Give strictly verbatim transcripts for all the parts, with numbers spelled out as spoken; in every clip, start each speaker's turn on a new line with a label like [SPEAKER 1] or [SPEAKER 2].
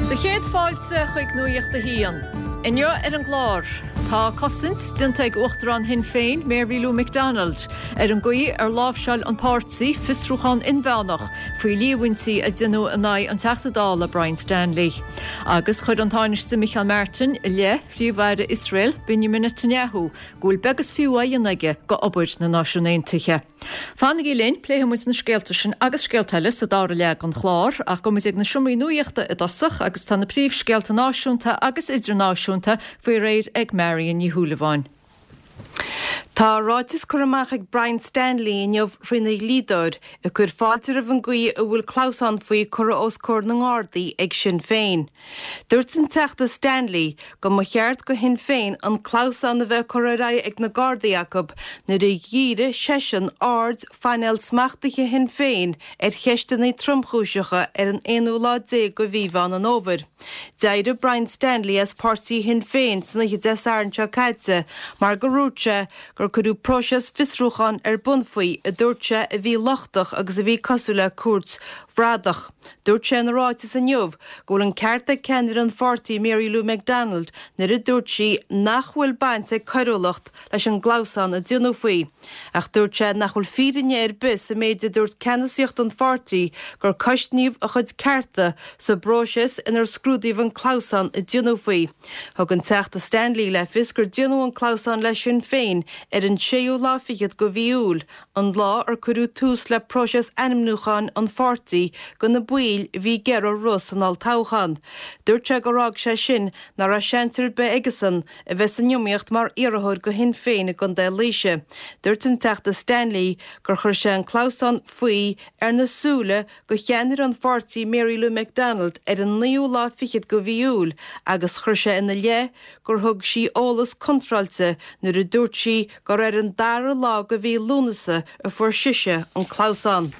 [SPEAKER 1] Do chéad fáilte chuig Nuacht a hAon. Inniu ar an gclár, tá cosaint déanta ag Uachtarán Shinn Féin Mary Lou McDonald ar an gcaoi ar láimhseáil an páirtí fiosrúchán inmheánach faoi líomhaintí a deineadh in aghaidh an Teachta Dála Brian Stanley. Agus chuir an Tánaiste Micheál Martin i leith Phríomh-Aire Iosrael Benjamin Netanyahu go bhfuil beag is fiú á dhéanamh aige go obair na Náisiún Aontaithe. Fanaigí linn pléifimid na scéalta sin agus scéalta eile sa dara leath den chlár ach gabhfaimid ag na seomraí nuachta i dtosach agus tá na príomhscéalta náisiúnta agus idirnáisiúnta faoi réir ag Marion Ní Shúilleabháin.
[SPEAKER 2] Tá ráiteas curtha amach ag Brian Stanley inniu trína dhlíodóir ag cur fáilte roimh an gcaoi a bhfuil clamhsán faoi curtha os comhair na nGardaí ag Sinn Féin. Dúirt an Teachta Stanley go mba cheart go Shinn Féin an clamhsán a bheith curtha ar aghaidh ag na Gardaí acu nuair a dhírigh seisean aird phainéal smachtaithe Shinn Féin ar cheisteanna tromchúiseacha ar an aonú lá déag go mhí Mheán an Fhómhair. D'éirigh Brian Stanley as páirtí Shinn Féin san oíche Dé Sathairn seo caite mar gur dhúirt sé gur cuireadh próiseas fiosrúcháin ar bun faoi a dúirt sé a bhí lochtach agus a bhí cosúil le cúirt bhradach. Dúirt sé ina ráiteas inniu go bhfuil an ceart ag ceannaire an pháirtí Mary Lou McDonald nuair a dúirt sí nach bhfuil baint ag coiriúlacht leis an gclamhsán a déanadh faoi. Ach dúirt sé nach bhfuil fírinne ar bith sa méid a dúirt ceannasaíocht an pháirtí gur cosnaíodh a chuid cearta sa bpróiseas inar scrúdaíodh an clamhsán a déanadh faoi. Thug an Teachta Stanley le fios gur déanadh an clamhsán le Sinn Féin ar an séú lá fichead go mhí Iúil, an lá ar cuireadh tús le próiseas ainmniúcháin an pháirtí go na baill a bhí ag iarraidh rith san olltoghchán. Dúirt sé gur fhág sé sin nach raibh seans ar bith aigesan a bheith san iomaíocht mar iarrthóir go Shinn Féin i gContae Laoise. Dúirt an Teachta Stanley gur chuir sé an clamhsán faoi ar na súile go cheannaire an pháirtí Mary Lou McDonald ar an naoú lá fichead go mhí Iúil agus chuir sé ina leith gur thug sí eolas contráilte nuair a dúirt sí gur ar an dara lá go mhí Lúnasa a fuair sise an clamhsán.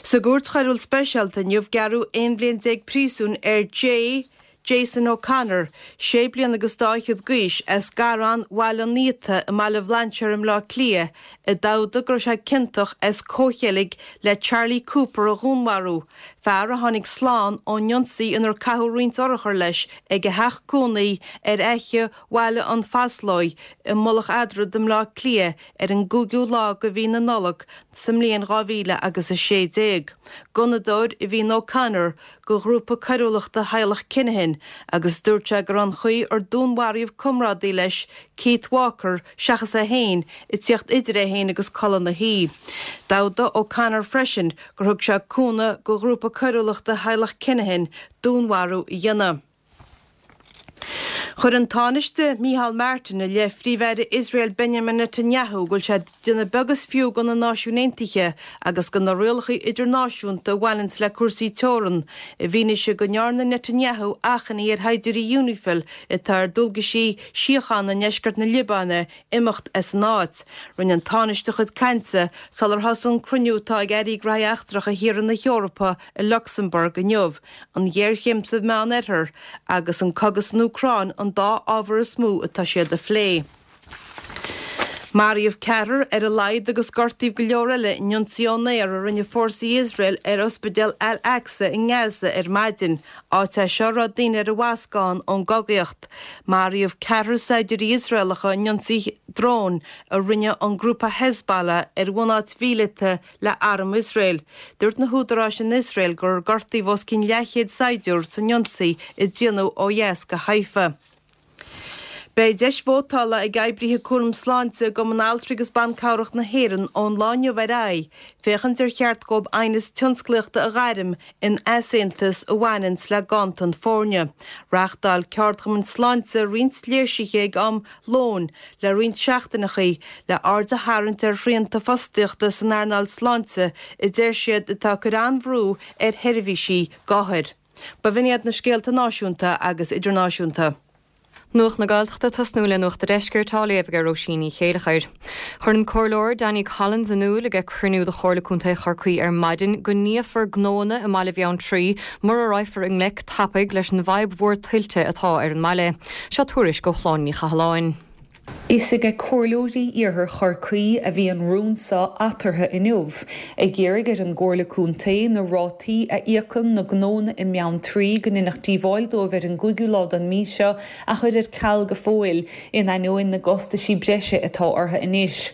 [SPEAKER 2] Sa gcúirt choiriúil speisialta inniu gearradh aon bhliain déag príosúin ar J. Jason O'Connor, sé bliana agus dá fhichead d'aois as Garrán Bhaile an Fhiata i mBaile Bhlainséir i mBleá Cliath, i dtoghadh go raibh sé ciontach as comhcheilg le Charlie Cooper a dhúnmharú, fear a tháinig slán ón ionsaí inar caitheadh roinnt urchar leis ag a theach cónaí ar Fhaiche Bhaile an Phaslóigh i Mullach Eadrad i mBleá Cliath ar an gcúigiú lá go mhí na Nollag sa mbliain dhá mhíle agus a sé déag. Gunnadóir a bhí in O'Connor go ghrúpa coiriúlachta theaghlach Kinahan agus dúirt sé gur an chaoi ar dúnmharaíodh comrádaí leis Keith Walker seachas é féin ag tíocht idir é féin agus culaith na hoí. D'admhaigh O'Connor freisin gur thug sé cúnamh go ghrúpa coiriúlachta theaghlach Kinahan dúnmharú a dhéanamh. Chuir an Tánaiste Micheál Martin i leith Phríomh-Aire Iosrael Benjamin Netanyahu go bhfuil sé ag déanamh beag is fiú go na Náisiúin Aontaithe agus go na rialacha idirnáisiúnta a bhaineanns le cúrsaí teorann i bhfianaise go ndearna Netanyahu achainí ar shaighdiúirí Unifil atá ar dualgaisí síochána i ndeisceart na Liobáine imeacht as an áit. Rinne an Tánaiste a chuid cainte sular thosaigh an cruinniú atá ag Airí Gnóthaí Eachtracha thíortha na hEorpa i Lucsamburg inniu, an ghéarchéim sa Mheánoirthear agus an cogadh san Úcráin an dá ábhar is mó atá siad a phlé. Maraíodh ceathrar ar a laghad agus gortaíodh go leor eile in ionsaí ón aer a rinne fórsaí Iosrael ar ospidéal Al-Aqsa i nGaza ar maidin, áit é seo a raibh daoine ar an bhascán ón gcogaíocht. Maraíodh ceathrar saighdiúirí Iosraelacha in ionsaí dróin a rinne an grúpa Hezbollah ar bhunáit mhíleata le arm Iosrael. Dúirt na húdaráis in Iosrael gur gortaíodh os cionn leathchéad saighdiúir san ionsaí a déanadh ó dheas go Haifa. Beidh deis vótála ag oibrithe cúram sláinte i gCumann Altraí agus Ban Cabhrach na hÉireann ón lá inniu ar aghaidh féachaint ar cheart dóibh aighneas tionsclaíochta a ghairm in easaontas a bhaineanns le ganntan foirne. Reáchtáil ceardchumainn sláinte roinnt léirsithe ag am lóin le roinnt seachtaineachaí le aird a tharraingt ar shrianta fostaíochta san earnáil sláinte a deir siad atá ag cur an-bhrú ar sheirbhísí d'othair. B'in iad na scéalta náisiúnta agus idirnáisiúnta.
[SPEAKER 3] Nuacht na Gaeltachta tosnú le Nuacht an Deiscirt á léamh ag Róisín Ní Chéilleachair. Chuir an Comhairleoir Danny Collins in iúl ag cruinniú de Chomhairle Contae Chorcaí ar maidin go ndíolfar gnóanna i mBaile Bheanntraí mura raghfar i ngleic tapaidh leis an bhfadhb mhór tuilte atá ar an mbaile. Seo tuairisc ó Shláine Ní Chathalláin.
[SPEAKER 4] Is ag comhairleoirí Iarthar Chorcaí a bhí an rún seo eatarthu inniu, ag iarraidh ar an gComhairle Contae na rátaí a íocann na gnónna i mBeanntraí go ndéanfadh díobháil dóibh ar an gcúigiú lá den mhí seo a chur ar ceal go fóill, in ainneoin na gcostaisí breise atá orthu anois.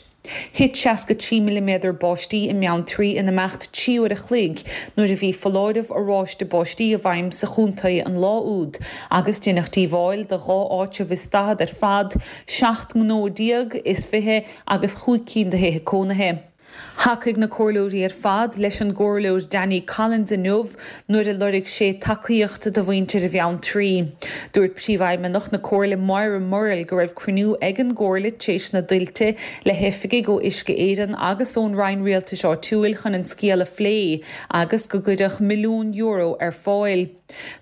[SPEAKER 4] Thit seasca trí milliméadar báistí i mBeanntraí in imeacht trí uair a chloig nuair a bhí foláireamh oráiste báistí i bhfeidhm sa chontae an lá úd agus deineadh díobháil do dhá áitreabh is daichead ar fad, seacht ngnó déag is fiche agus chúig cinn de thithe cónaithe. Thacaigh na comhairleoirí ar fad leis an gComhairleoir Danny Collins inniu nuair a lorg sé tacaíocht do mhuintir Bheanntraí. Dúirt Príomhfheidhmeannach na Comhairle Moira Murrell go raibh cruinniú ag an gComhairle tar éis na dtuilte le hoifigigh ó Uisce Éireann agus ón Roinn Rialtais Áitiúil chun an scéal a phlé agus go gcuirfeadh milliún euro ar fáil.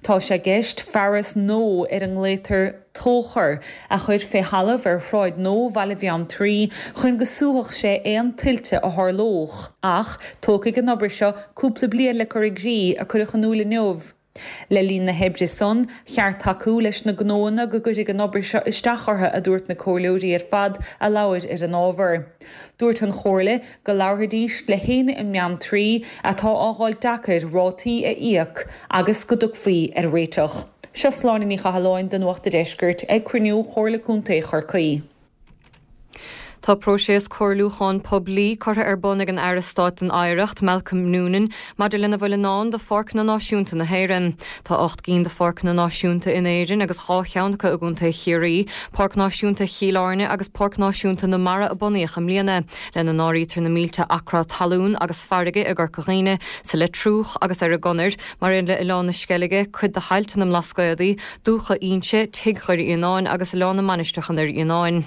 [SPEAKER 4] Tá sé i gceist fearas nua ar a nglaotar tóchar a chur fé thalamh ar Shráid Nua Bhaile Bheanntraí chun go súfadh sé aon tuilte a tharlódh. Ach tógfaidh an obair seo cúpla bliain le cur i gcrích, a cuireadh in iúl inniu. Le linn na hoibre san, cheart tacú leis na gnóanna go gcuirfidh an obair seo isteach orthu, a dúirt na comhairleoirí ar fad a labhair ar an ábhar. Dúirt an Chomhairle go labharfaidís le héinne i mBeanntraí atá á fháil deacair rátaí a íoc agus go dtiocfaí ar réiteach. Seo Sláine Ní Chathalláin do Nuacht an Deiscirt ag cruinniú Chomhairle Contae Chorcaí.
[SPEAKER 3] Tá próiseas comhairliúcháin poiblí curtha ar bun ag an Aire Stáit don Oidhreacht, Malcolm Noonan, maidir lena bhfuil i ndán do Pháirceanna Náisiúnta na hÉireann. Tá ocht gcinn de pháirceanna náisiúnta in Éirinn agus dhá cheann acu i gContae Chiarraí, Páirc Náisiúnta Chill Airne agus Páirc Náisiúnta na Mara a bunaíodh i mbliana, lena n-áirítear na mílte acra talún agus farraige i gCorca Dhuibhne, sa Leitriúch agus ar an gConair, mar aon le Oileán na Sceilge, cuid de thailte na mBlascaodaí, Dúiche Inse, Tigh Dhoire Fhíonáin agus Oileán na Mainistreach i nDoire Fhíonáin.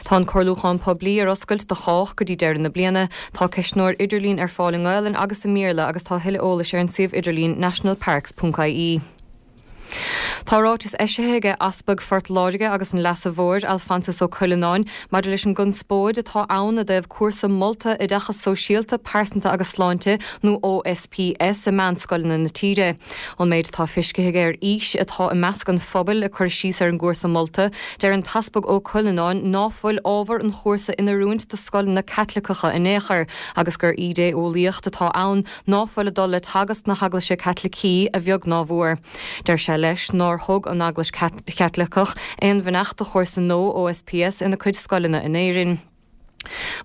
[SPEAKER 3] Tá an comhairliúchán poiblí ar oscailt do chách go dtí deireadh na bliana. Tá ceistneoir idirlín ar fáil i nGaelainn agus i mBéarla agus tá thuilleadh eolais ar an suíomh idirlín nationalparks ponc ie. Tá ráiteas eisithe aige Easpag Phort Láirge agus an Leasa Mhóir, Alphonsus Ó Cuileanáin, maidir leis an gconspóid atá ann i dtaobh cúrsa molta Oideachas Sóisialta, Pearsanta agus Sláinte nó OSPS i meánscoileanna na tíre. Ón méid atá feiscithe aige ar fhís atá i measc an phobail ag cur síos ar an gcúrsa molta, deir an tEaspag Ó Cuileanáin ná fuil ábhar an chúrsa in oiriúint do scoileanna Caitliceacha in aon chor agus gur ídé-eolaíocht atá ann ná fuil ag dul le teagasc na hEaglaise Caitlicí a bheag ná a mhór. Deir sé leis nár thug an Eaglais Chaitliceach aon bheannacht do chúrsa nua OSPS ina cuid scoileanna in Éirinn.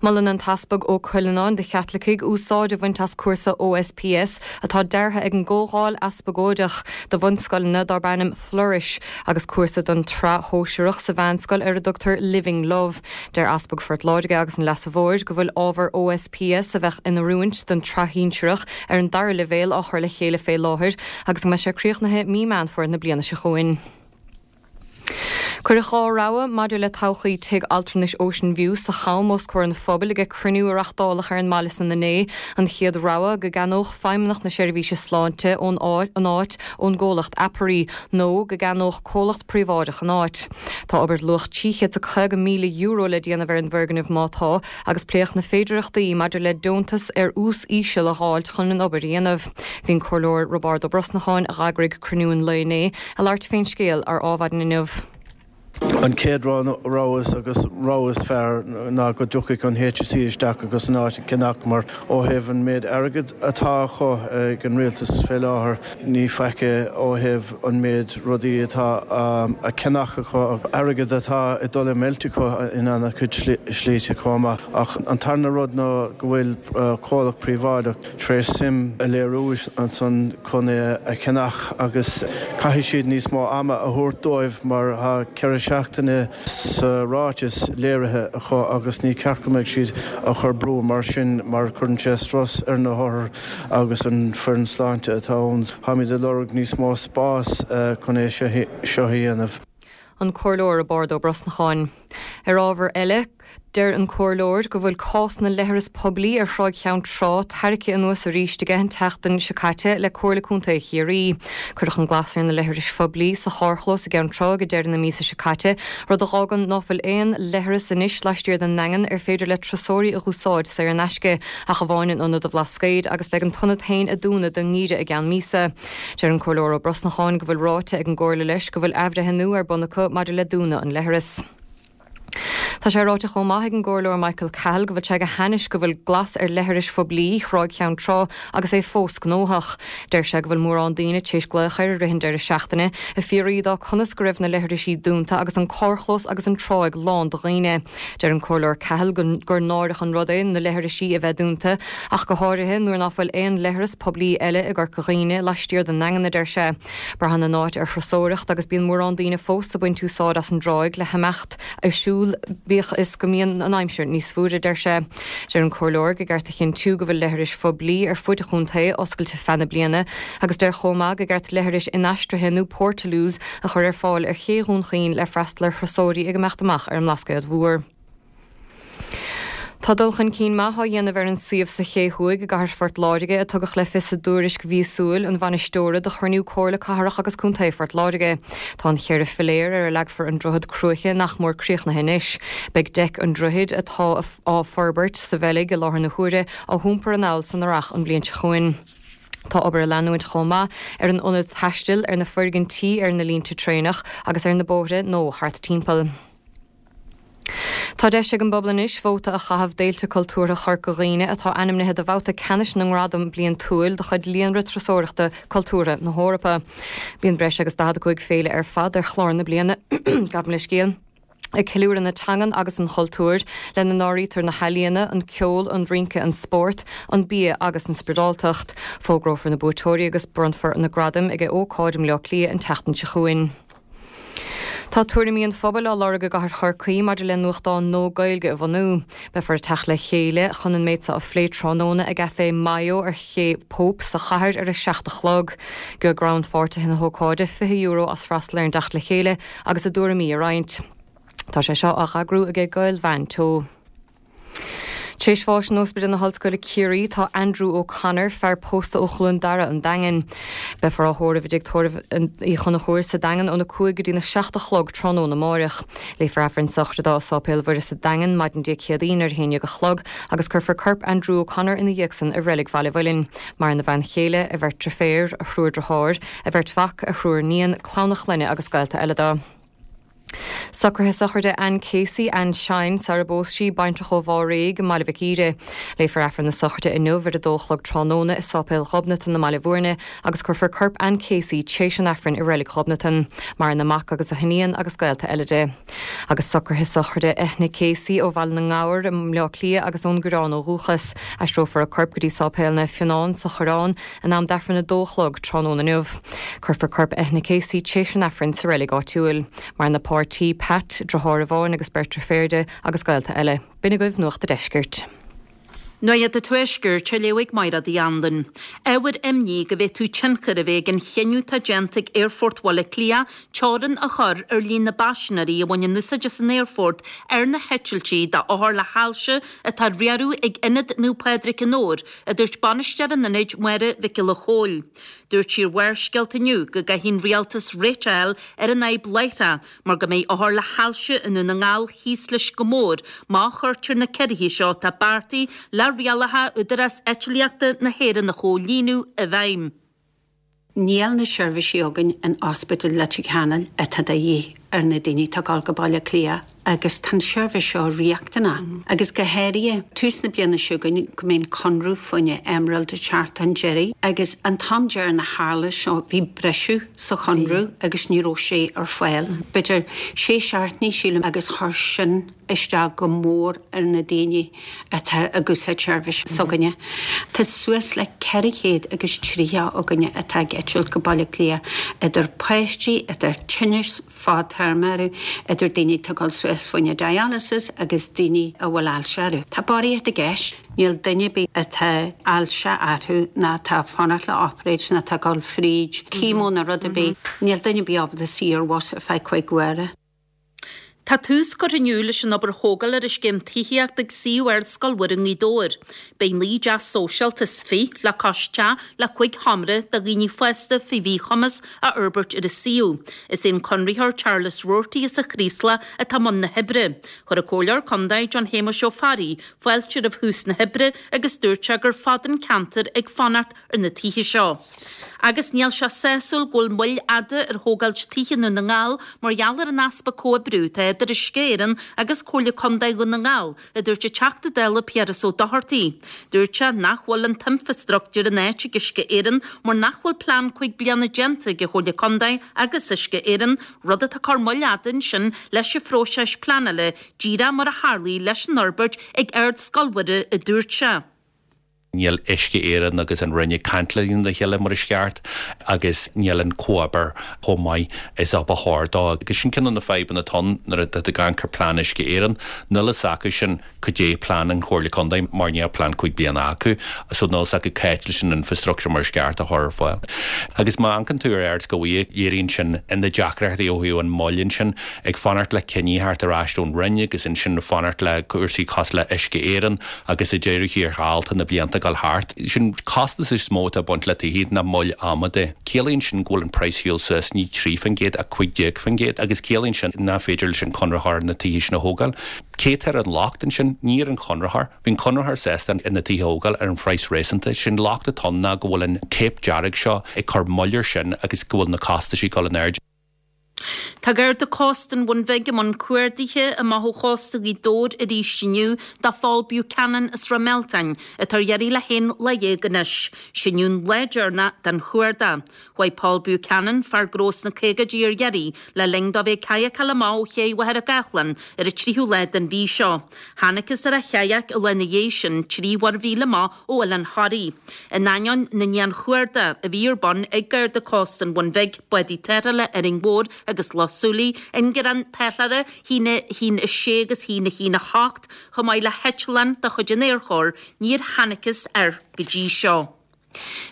[SPEAKER 3] Molann an tEaspag Ó Cuileanáin do Chaitlicigh úsáid a bhaint as cúrsa OSPS atá deartha ag an gComhdháil Easpagóideach do bhunscoileanna darb ainm Flourish agus cúrsa don tsraith shóisearach sa mheánscoil ar a dtugtar Living Love. Deir Easpag Phort Láirge agus an Leasa Mhóir go bhfuil ábhar OSPS a bheadh in oiriúint don tsraith shinsearach ar an dara leibhéal á chur le chéile fé láthair agus go mbeidh sé críochnaithe mí Meán Fómhair na bliana seo chugainn. Cuireadh dhá rogha maidir le todhchaí Tigh Altranais Ocean View sa Cham os comhair an phobail ag cruinniú a reáchtáladh ar an mbaile san inné. An chéad rogha, go gceannódh Feidhmeannacht na Seirbhíse Sláinte ón an áit ón gcomhlacht Aperi nó go gceannódh comhlacht príobháideach an áit. Tá obair luach trí chéad is caoga míle euro le déanamh ar an bhfoirgneamh má tá agus pléadh na féidearthachtaí maidir le deontas ar ús íseal a dh'fháilt chun an obair a dhéanamh. Bhí an Comhairleoir Roibeárd Ó Brosnacháin, a dh'eagraigh cruinniú an lae inné, ag labhairt fén scéal ar Adhmhaidin inniu.
[SPEAKER 5] An chéad rogha agus rogha is fearr ná go dtiocfaidh an HSE isteach agus an áit a cheannach mar ó thaobh an méid airgid atá acu ag an rialtas fé láthair ní faic é ó thaobh an méid rudaí atá a cheannach acu, airgead atá ag dul i meilt acu in an-chuid slite chomh maith. Ach an tarna rud ná go bhfuil comhlacht príobháideach tar éis suim a léiriú ansan chun é a cheannach agus caithfidh siad níos mó ama a thabhairt dóibh mar tá ceithre seachtaine sa ráiteas léirithe acu agus ní ceart go mbeidh siad á chur brú mar sin mar cuireann sé strus ar na hothair agus an foireann sláinte atá ann. Táimid ag lorg níos mó spás chun é seo a dhéanamh.
[SPEAKER 3] An Comhairleoir Roibeárd Ó Brosnacháin. Ar ábhar eile, deir an Comhairleoir go bhfuil cás na leithreas poiblí ar Shráid Cheann Trá tarraicthe anuas arís aige an tseachtain seo caite le Comhairle Contae Chiarraí. Cuireadh an glas ar na leithris phoiblí sa charrchlós i gCeann Trá ag deireadh na míosa seo caite, rud a dh'fhágann ná fuil aon leithreas anois laistiar den nDaingean ar féidir le turasóirí a dh'úsáid saor in aisce, ach amháin in Ionad an Bhlascaoid agus beidh an t-ionad féin ag dúnadh don ngeimhreadh i gceann míosa. Deir an Comhairleoir Ó Brosnacháin go bhfuil ráite ag an gComhairle leis go bhfuil athbhreithniú ar bun acu maidir le dúnadh an leithreas. Tá sé ráite chomh maith ag an gComhairleoir Michael Cahill go bhfuil sé go hainnis go bhfuil glas ar leithris phoiblí Thráigh Cheann Trá agus é fós gnóthach. Deir sé go bhfuil mórán daoine tar éis glaoch air i rith an deireadh seachtaine ag fiafraí de conas go raibh na leithrisí dúnta agus an carrchlós agus an tráigh lán de dhaoine. Deir an Comhairleoir Cahill gur náireach an rud é na leithrisí a bheith dúnta ach go háirithe nuair nach bhfuil aon leithreas poiblí eile i gCorca Dhuibhne laistiar den nDaingean a deir sé. Braitheann an áit ar thurasóireacht agus bíonn mórán daoine fós ag baint úsáid as an dtráigh le himeacht ar siúl bíodh is go mbíonn an aimsir níos fuaire deir sé. Deir an Comhairleoir gur cheart a chinntiú go bhfuil leithris phoiblí ar fud an chontae oscailte feadh na bliana, agus deir chomh maith gur cheart leithris inaistrithe nó portaloos a chur ar fáil ar ché Dhún Chaoin le freastal ar thurasóirí ag imeacht amach ar an mBlascaod Mhór. Tá dul chun cinn maith á dhéanamh ar an suíomh sa Ché Thuaidh i gcathair Phort Láirge a tugadh le fios i dtuairisc mhíosúil an bhainisteora do chruinniú Comhairle Cathrach agus Contae Phort Láirge. Tá an cheithre philéar ar a leagfar an droichead cruaiche nach mór críochnaithe anois. Beidh deic an droichid atá á forbairt sa Bheilg i láthair na huaire á hiompar anall san earrach an bhliain seo chugainn. Tá obair ag leanúint chomh maith ar an ionad taistil ar na foirgintí ar na línte traenach agus ar na bóithre nó thart timpeall. Tá deis ag an bpobal anois vóta a chaitheamh d'fhéilte cultúrtha Chorca Dhuibhne atá ainmnithe do bhabhta ceannais na ngradam bliantúil de chuid líonra turasóireachta cultúrtha na hEorpa. Bíonn breis agus daichead a cúig féile ar fad ar chlár na bliana gabh mo leithscéal. Ag ceiliúradh na teangan agus an chultúir, lena n-áirítear na healaíona, an ceol, an rince, an spórt, an bia agus an spioradáltacht. Fógrófar na buaiteoirí agus bronnfar na gradaim ag ócáid i mBaile Átha Cliath an tseachtain seo chugainn. Tá tuairimí an phobail á lorg i gcathair Chorcaí maidir le nuachtán nua Gaeilge a bhunú. Beifear ag teacht le chéile chun an méid seo a phlé tráthnóna ag Café Mayo ar Ché Pope sa chathair ar a seacht a chlog. Gheobhaidh rannpháirtithe na hócáide fiche euro as freastal ar an dteacht le chéile agus a dtuairimí a roinnt. Tá sé seo á eagrú ag Gael-Mheáin Teo. Tar éis bháis in Ospidéal na hOllscoile Ciarraí tá Andrew O'Connor fear pósta ó Chluain Dara an Daingean. Beifear á thórramh i dTigh Tórraimh Uí Chonchúir sa Daingean óna cúig go dtí na seacht a chlog tráthnóna amárach. Léifear Aifreann sochraide i Sáipéal Mhuire sa Daingean maidin Dé Céadaoin ar a haon déag a chlog agus cuirfear corp Andrew O'Connor ina dhiaidh san i reilig Bhaile Mhuilinn. Maireann a bhean chéile, a bheirt deirféar, a thriúr dearthár, a bheirt mhac, a thriúr níon, clann a chlainne agus gaolta eile dó. Socruithe sochraide Ann Casey Ann Shine sara bpós sí baintreach ó Bháréig i mBaile Mhic Íre. Léifear Aifreann na sochraide inniu ar a dó a chlog tráthnóna i Sáipéal Ghobnatan i mBaile Bhúirne agus cuirfear corp Ann Casey tar éis an Aifrinn i reilig Ghobnatan, maireann a mac agus a hiníon agus gaolta eile di. Agus socruithe sochraide Eithne Casey ó Bhaile na nGabhar i mBleá Cliath agus ón gCoireán ó dhúchas. Aistreofar a corp go dtí Sáipéal Naomh Fionán sa Choireán in am d'Aifreann a dó a chlog tráthnóna inniu. Cuirfear corp Eithne Casey tar éis an Aifrinn sa reilig áitiúil. Maireann a páirtí Pat, deartháir amháin agus beirt deirféar di agus gaolta eile. B'in agaibh Nuacht an Deiscirt.
[SPEAKER 6] Nuacht an Tuaiscirt á léamh ag Máire Uí Anluain. Ábhar imní go bhféadfadh tionchar a bheith ag an chinneadh atá déanta ag Aerfort Bhaile Átha Cliath teorainn a chur ar líon na bpaisinéirí a bhaineann úsáid as an aerfort ar na heitiltí d'othair le hailse atá á riaradh ag Ionad Naomh Pádraig an Fheoir, a dúirt bainisteoir an ionaid Máire Mhic Giolla Chóill. Dúirt sí ar Bharrscéalta inniu go gcaithfidh an rialtas réiteach a fháil ar an fhadhb láithreach mar go mbeidh othair le hailse i nDún na nGall thíos leis go mór má chuirtear na ciorruithe seo atá beartaithe le rialacha Údarás Eitlíochta na hÉireann a chomhlíonadh i bhfeidhm.
[SPEAKER 7] Níl na seirbhísí againn in Ospidéal Leitir Ceanainn atá de dhíth ar na daoine atá ag dul go Baile Átha Cliath agus tá an seirbhís seo riachtanach. Agus go háirithe tús na bliana seo chugainn go mbeidh conradh faoina Emerald ag teacht chun deiridh agus an t-am deireanach a tharla seo bhí briseadh sa chonradh agus ní raibh sé ar fáil. B'fhéidir sé seachtainí sílim agus chuir sin isteach go mór ar na daoine atá ag úsáid seirbhís s'againne. Tá suas le ceithre chéad agus tríocha againne atá ag eitilt go Baile Átha Cliath idir páistí, idir tinnis fadtéarma orthu, idir daoine atá ag dul suas faoina dialysis agus daoine a bhfuil ailse orthu. Tá barraíocht i gceist, níl duine ar bith atá ailse orthu ná atá fanacht le operáid ná atá ag dul fríd chemo nó rud ar bith, níl duine ar bith ábalta suí ar bhus ar feadh cúig uaire.
[SPEAKER 6] Tá tús curtha inniu leis an obair thógála ar an scéim tithíochta ag suíomh Ardscoil Mhuire i nGaoth Dobhair. Beidh naoi dteach sóisialta is fiche le cois teach le cúig sheomra do dhaoine fásta faoi mhíchumas a fhorbairt ar an suíomh. Is é an conraitheoir Charles Roarty as an Chraoslach atá i mbun na hoibre. Chuir an Comhairleoir Contae John Shéamuis Ó Fearraigh fáilte roimh thús na hoibre agus dúirt sé gur fada an ceantar ag fanacht ar na tithe seo. Agus níl sé sásúil go bhfuil moill fhada ar thógáil tithe i nDún na nGall mar gheall ar an easpa comhoibriú atá idir Uisce Éireann agus Comhairle Contae Dhún na nGall, a dúirt an Teachta Dála Piaras Ó Dochartaigh. Dúirt sé nach bhfuil an t-infreastruchtúr in áit ag Uisce Éireann mar nach bhfuil plean cúig bliana déanta ag an Chomhairle Contae agus Uisce Éireann, rud atá ag cur moill fhada ansin leis an phróiseas pleanála, díreach mar a tharlaigh leis an fhorbairt ag Ardscoil Mhuire, a dúirt sé.
[SPEAKER 8] Níl Uisce Éireann agus an Roinn ag caint le chéile mar is ceart agus níl an comhoibriú chomh maith is a ba chóir dó. Agus sin ceann de na fadhbanna atá nuair atá ag amharc ar plean Uisce Éireann, níl a fhios acu sin cad é plean an Chomhairle Contae mar níl plean cúig bliana acu, so níl a fhios acu cá háit leis an infrastructure mar is ceart a chur ar fáil. Agus má amharcann tú ar Ardscoil Mhuire, léiríonn sin na deacrachtaí ó thaobh an moill ansin ag fanacht le cinní thart ar ais ón Roinn agus ansin fanacht le cúrsaí cosúil le Uisce Éireann agus i deireadh thiar thall tá na blianta ag dul thart. Sin costas is mó atá ag baint le tithe ná moill ama de. Ciallaíonn sin go bhfuil an praghas shiúil suas ní trí faoin gcéad ach cúig déag faoin gcéad agus ciallaíonn sin nach féidir leis an conraitheoir na tithe sin a thógáil. Cé atá ar an locht ansin ní ar an chonraitheoir, Bhí an conraitheoir sásta na tithe a thógáil ar an phraghas réasúnta, sin locht atá ná go bhfuil an téip dearg seo ag cur moill air sin agus go bhfuil na costais ag dul in airde.
[SPEAKER 6] Tá Garda Cósta an Bhun Bhig i mbun cuardaithe amach ó chósta Ghaoth Dobhair arís inniu do Phól Buchanan as Ráth Mealtain, atá ar iarraidh le haon lá dhéag anois. Sin an lá deireanach den chuardach. Chuaigh Paul Buchanan, fear gnó sna caogaidí ar iarraidh le linn dó bheith ag cadhcáil amach ó ché Mhachaire Gathlán ar an tríú lá den mhí seo. Thángthas ar a chadhc an lá ina dhiaidh sin trí mhuirmhíle amach ó Oileán Thoraí. In ainneoin na ndianchuardach a bhí ar bun ag Garda Cósta an Bhun Bhig, bádaí tarrthála Árainn Mhór agus Loch Súilí, ingearán tarrthála a haon a haon a sé agus a haon a haon a hocht, chomh maith le heitleán de chuid an Aerchóir, níor thángthas air go dtí seo.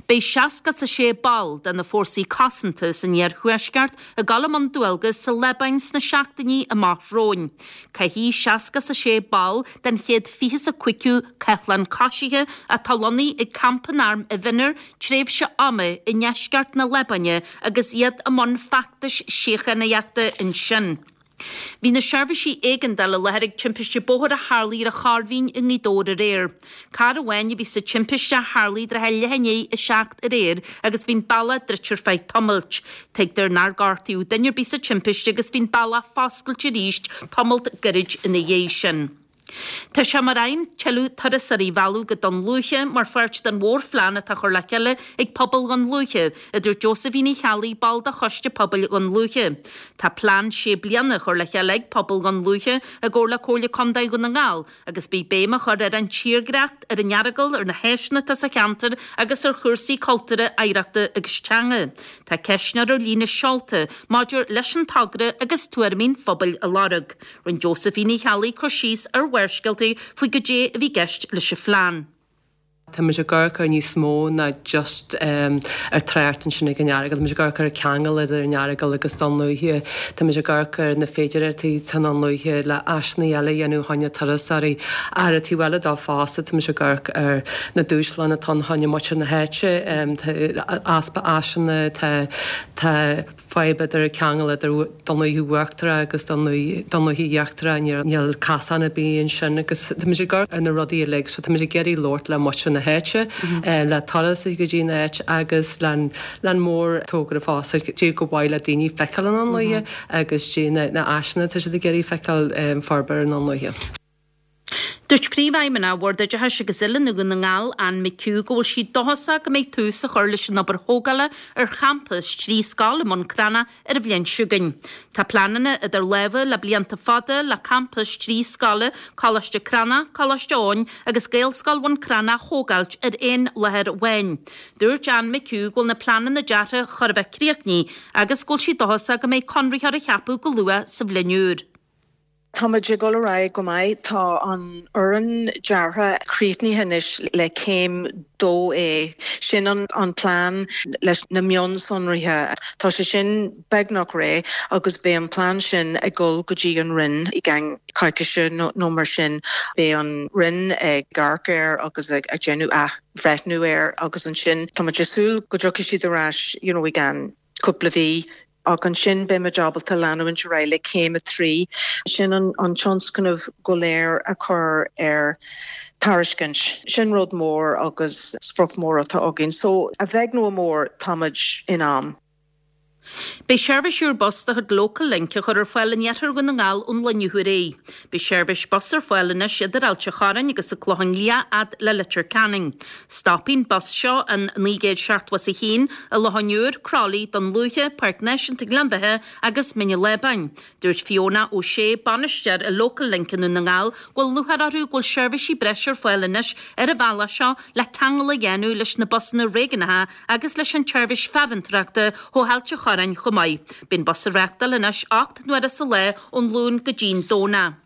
[SPEAKER 6] Beidh seasca a sé ball de na fórsaí cosanta san iarthuaisceart ag dul i mbun dualgas sa Liobáin sna seachtainí amach romhainn. Caithfidh seasca a sé ball den chéad fiche a cúigiú Cathlán Coisithe atá lonnaithe ag campa an airm i bhFinner tréimhse ama i ndeisceart na Liobáine agus iad i mbun feachtais síochánaíochta ansin. Bhí na seirbhísí éigeandála i láthair ag timpiste bóthair a tharlaigh ar an Chorr Mhín i nGaoth Dobhair aréir. Carr amháin a bhí sa timpiste a tharlaigh trátha leath i ndiaidh a seacht aréir agus bhí an bealach druidte ar feadh tamaill. Tuigtear nár gortaíodh duine ar bith sa timpiste agus bhí an bealach foscailte arís tamall gairid ina dhiaidh sin. Tá sé mar aidhm tuilleadh turasóirí a mhealladh go Dún Lúiche mar pháirt den mhórphlean atá á chur le chéile ag pobal Dhún Lúiche, a dúirt Josephine Uí Cheallaigh, ball de choiste pobail Dhún Lúiche. Tá plean sé bliana á chur le chéile ag pobal Dhún Lúiche i gcomhar le Comhairle Contae Dhún na nGall agus beidh béim á chur ar an tírdhreach, ar an Earagail, ar na háiseanna atá sa cheantar agus ar chúrsaí cultúrtha, oidhreachta agus teanga. Tá ceistneoir ar líne seolta maidir leis an togra agus tuairimí an phobail á lorg. Rinne Josephine Uí Cheallaigh cur síos ar Bharrscéalta faoi goidé a bhí i gceist leis an phlean.
[SPEAKER 9] Táimid ag amharc ar níos mó ná just um, ar trácht ansin ag an Earagail, Táimid ag amharc ar ceangal idir an Earagail agus Dún Lúiche. Táimid ag amharc ar na féidearthachtaí i nDún Lúiche le háiseanna eile a dhéanamh chun turasóirí ar an taobh eile dó fosta táimid ag amharc ar na dúshláin atá chun muintir na háite easpa áiseanna tá tá fadhb idir ceangal idir Dún Lúiche Uachtarach agus Dún Lúiche Íochtarach níl casán ar bith ansin agus táimid ag amharc ar na rudaí uilig so táimid ag iarraidh labhairt le muintir na háite le turasóirí go dtí an áit agus le an mórtogra fosta dé go bhfuil le daoine feiceáil i nDún Lúiche agus dé na háiseanna tá siad ag iarraidh feiceáil forbartha i nDún Lúiche.
[SPEAKER 6] Dúirt Príomhfheidhmeannach Bhord Oideachais agus Oiliúna Dhún na nGall Ann McHugh go bhfuil sí dóchasach go mbeidh tús á chur leis an obair thógála ar champas trí scoil i mBun Cranncha ar an bhliain seo chugainn. Tá pleananna idir lámha le blianta fada le campas trí scoile, Coláiste Cranncha, Coláiste Eoin agus Gaelscoil Bhun Cranncha a thógáilt ar aon láthair amháin. Dúirt Ann McHugh go bhfuil na pleananna deartha chóir a bheith críochnaithe agus go bhfuil sí dóchasach go mbeidh conraitheoir á cheapadh go luath sa bhliain úr.
[SPEAKER 10] Táimid ag dul ar aghaidh go maith tá an fhoireann deartha críochnaithe anois le céim dó A sin an, an plean leis na mionsonraithe. Tá sé sin beagnach réidh agus beidh an plean sin ag dul go dtí an Roinn i gceann coicíse nó, nó mar sin beidh an Roinn ag amharc air agus ag, ag déanamh athbhreithniú air agus ansin táimid ag súil go dtiocfaidh siad ar ais you know, i gceann cúpla mhí ach ansin beimid ábalta leanúint ar aghaidh le céim a trí sin an, an tionscnamh go léir a chur ar tairiscint. Sin rud mór agus sprioc mór atá againn, so a bheag nó a mór táimid in am.
[SPEAKER 6] Beidh seirbhís úr bus de chuid Local Link á chur ar fáil in iarthar Dhún na nGall ón lá inniu ar aghaidh. Beidh seirbhís bus ar fáil anois idir Ailt a' Chorráin agus an Clochán Liath fhad le Leitir Ceanainn. Stopfaidh an bus seo, an naoi gcéad seachtó is a haon, i Loch an Iúir, Crolly, Dún Lúiche, Páirc Náisiúnta Ghleann Bheatha agus Mín an Lábáin. Dúirt Fiona O'Shea, bainisteoir i Local Link i nDún na nGall, go bhfuil lúcháir orthu go bhfuil seirbhísí breise ar fáil anois ar an bhealach seo le ceangal a dhéanamh leis na busanna réigiúnacha agus leis an tseirbhís farantóireachta ó Ailt a' Chorráin chomh maith. Beidh an bus á reáchtáil anois ocht n-uaire sa lá ón Luan go dtí'n Domhnach.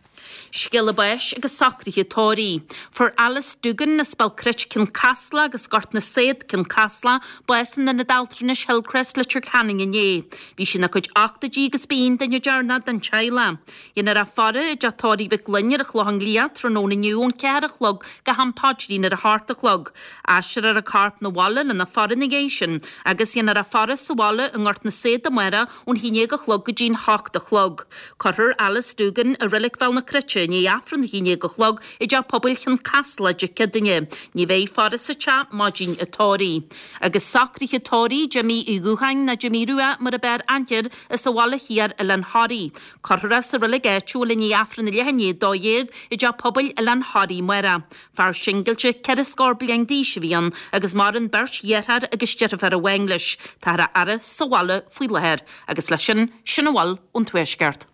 [SPEAKER 6] Scéala báis agus socruithe tórraimh. Fuair Alice Duggan as Béal Cruit Cionn Caslach agus Gort na Saod, Cionn Caslach, bás in Ionad Altranais Hillcrest, Leitir Ceanainn inné. Bhí sí ina cuid ochtóidí agus ba í an duine deireanach den teaghlach. Dhéanfar a faire i dteach tórraimh Mhic Fhloinn ar an Chlochán Liath tráthnóna inniu ón ceathair a chlog go ham paidrín ar a hocht a chlog. Aistreofar a corp 'na bhaile lena faire ina dhiaidh sin agus dhéanfar a faire sa bhaile i nGort na Saod amárach ón haon déag a chlog go dtí'n hocht a chlog. Cuirfear Alice Duggan i Reilig Bhéal na Cruite i ndiaidh Aifreann a haon déag a chlog i dTeach Pobail Chionn Caslach Dé Céadaoine. Ní bheidh faire sa teach maidin an tórraimh. Agus socruithe tórraimh Jimí Uí Dhúcháin nó Jimí Rua mar ab fhearr aithne air as an Bhaile Thiar Oileán Thoraí. Cuirfear é sa reilig áitiúil i ndiaidh Aifreann a leath i ndiaidh a dó dhéag i dTeach Pobail Oileán Thoraí amárach. Fear singilte ceithre scór bliain d'aois a bhí ann agus maireann beirt dheartháir agus deirfiúr amháin leis. Táthar á fhaire sa bhaile faoi láthair. Agus leis sin, sin a bhfuil ón Tuaisceart.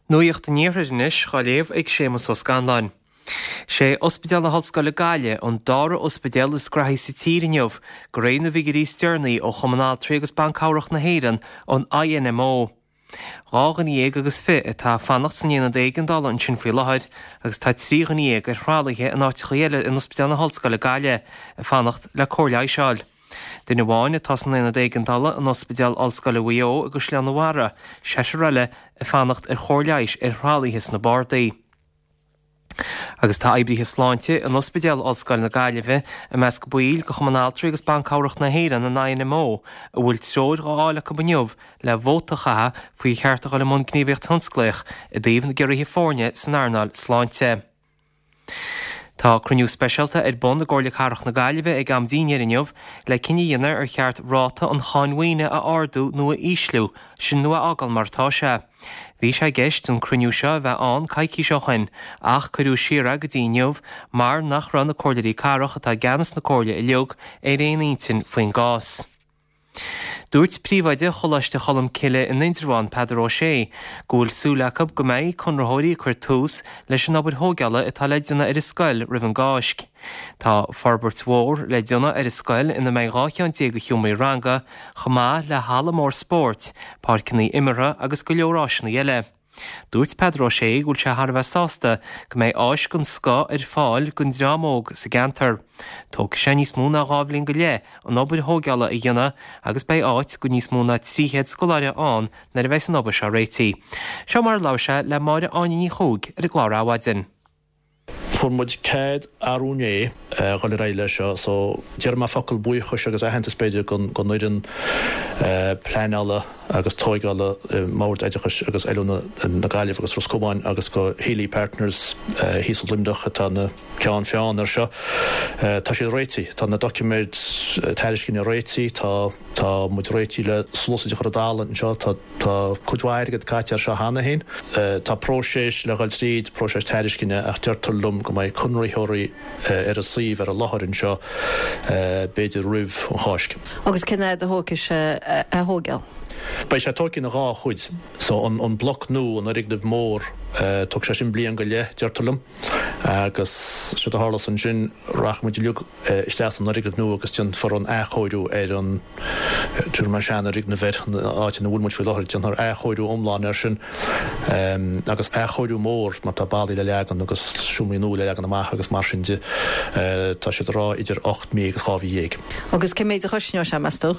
[SPEAKER 11] Nuacht an Iarthair anois á léamh ag Séamus Ó Scanláin. Sé Ospidéal na hOllscoile Gaillimh an dara ospidéal is graithí sa tír inniu, de réir na bhfigiúirí is deireanaí ó Chumann Altraí agus Ban Cabhrach na hÉireann, an I N M O. Dhá dhuine dhéag agus fiche atá ag fanacht san aonad éigeandála ansin faoi láthair agus tá trí dhuine dhéag ar thralaithe in áiteacha eile in Ospidéal na hOllscoile Gaillimh ag fanacht le cóir leighis a fháil. Duine amháin atá san aonad éigeandála in Ospidéal Ollscoile Mhaigh Eo i gCaisleán an Bharraigh, seisear eile ag fanacht ar chóir leighis ar thralaithe sna bardaí. Agus tá oibrithe sláinte in Ospidéal Ollscoile na Gaillimhe i measc baill de Chumann Altraí agus Ban Cabhrach na hÉireann an I N M O a bhfuil treoir á fháil acu inniu le vóta a chaitheamh faoi cheart a dhul i mbun gníomhaíocht thionsclaíoch i dtaobh na gciorruithe foirne san earnáil sláinte. Tá cruinniú speisialta ar bun i gComhairle Cathrach na Gaillimhe ag am dinnéir inniu le cinneadh a dhéanamh ar cheart ráta an cháin mhaoine a ardú nó a ísliú, sin nó a fhágáil mar atá sé. Bhí sé i gceist an cruinniú seo a bheith ann coicís ó shin ach cuireadh siar é go dtí inniu mar nach raibh na comhairleoirí cathrach atá i gceannas na comhairle uilig ar aon intinn faoin gcás. Dúirt príomhoide Choláiste Cholm Cille in Indreabhán Peadar Ó Sé go bhfuil súil acu go mbeidh conraitheoirí ag cur tús leis an obair thógála atá le déanamh ar an scoil roimh an gCáisc. Tá forbairt mhór le déanamh ar an scoil ina mbeidh dhá cheann déag de sheomraí ranga, chomh maith le halla mór spóirt, páirceanna imeartha agus go leor áiseanna eile. Dúirt Peadar Ó Sé go bhfuil sé thar a bheith sásta go mbeidh áis den scoth ar fáil don dream óg sa gceantar. Tógfaidh sé níos mó ná dhá bhliain go leith an obair thógála a dhéanamh agus beidh áit do níos mó ná trí chéad scoláire ann nuair a bheidh an obair seo réitithe. Seo mar a labhair sé le Máire Áine Ní Chuaig ar an gclár Adhmhaidin.
[SPEAKER 12] Fuair muid cead arú inné dhul ar aghaidh leis seo, so déarfaidh mé focal buíochais agus aitheantas b'fhéidir don don fhoireann pleanála agus tógála i mBord Oideachais agus Oiliúna na Gaillimhe agus Ros Comáin agus go Healy Partners thíos i Luimneach atá ina gceann feadhna ar seo. Tá siad réitithe, tá na doiciméid tairisceana réitithe, tá tá muid réitithe le sluasaid a chur i dtalamh anseo, tá tá cuid mhaith airgead caite ar seo cheana féin. Tá próiseas le dhul tríd, próiseas tairisceana ach deirtear liom go mbeidh conraitheoirí ar an suíomh ar an láthair anseo b'fhéidir roimh an Cháisc.
[SPEAKER 13] Agus cén fhad a thógfaidh sé a thógáil?
[SPEAKER 12] Beidh sé tógtha ina dhá chuid, so an, an bloc nua an fhoirgneamh mór tógfaidh sé sin bliain go leith deirtear liom agus séard a tharlós ansin rachaidh muid uilig isteach san fhoirgneamh nua agus déanfar an athchóiriú ar an tabharfaidh mé seanfhoirgneamh air an áit ina bhfuil muid faoi láthair déanfar athchóiriú iomlán air sin agus athchóiriú mór mar tá ballaí le leagan agus seomraí nua le leagan amach agus mar sin de tá siad ag rá idir ocht mí agus dhá mhí dhéag.
[SPEAKER 13] Agus cé méid a chosnóidh sé meas tú?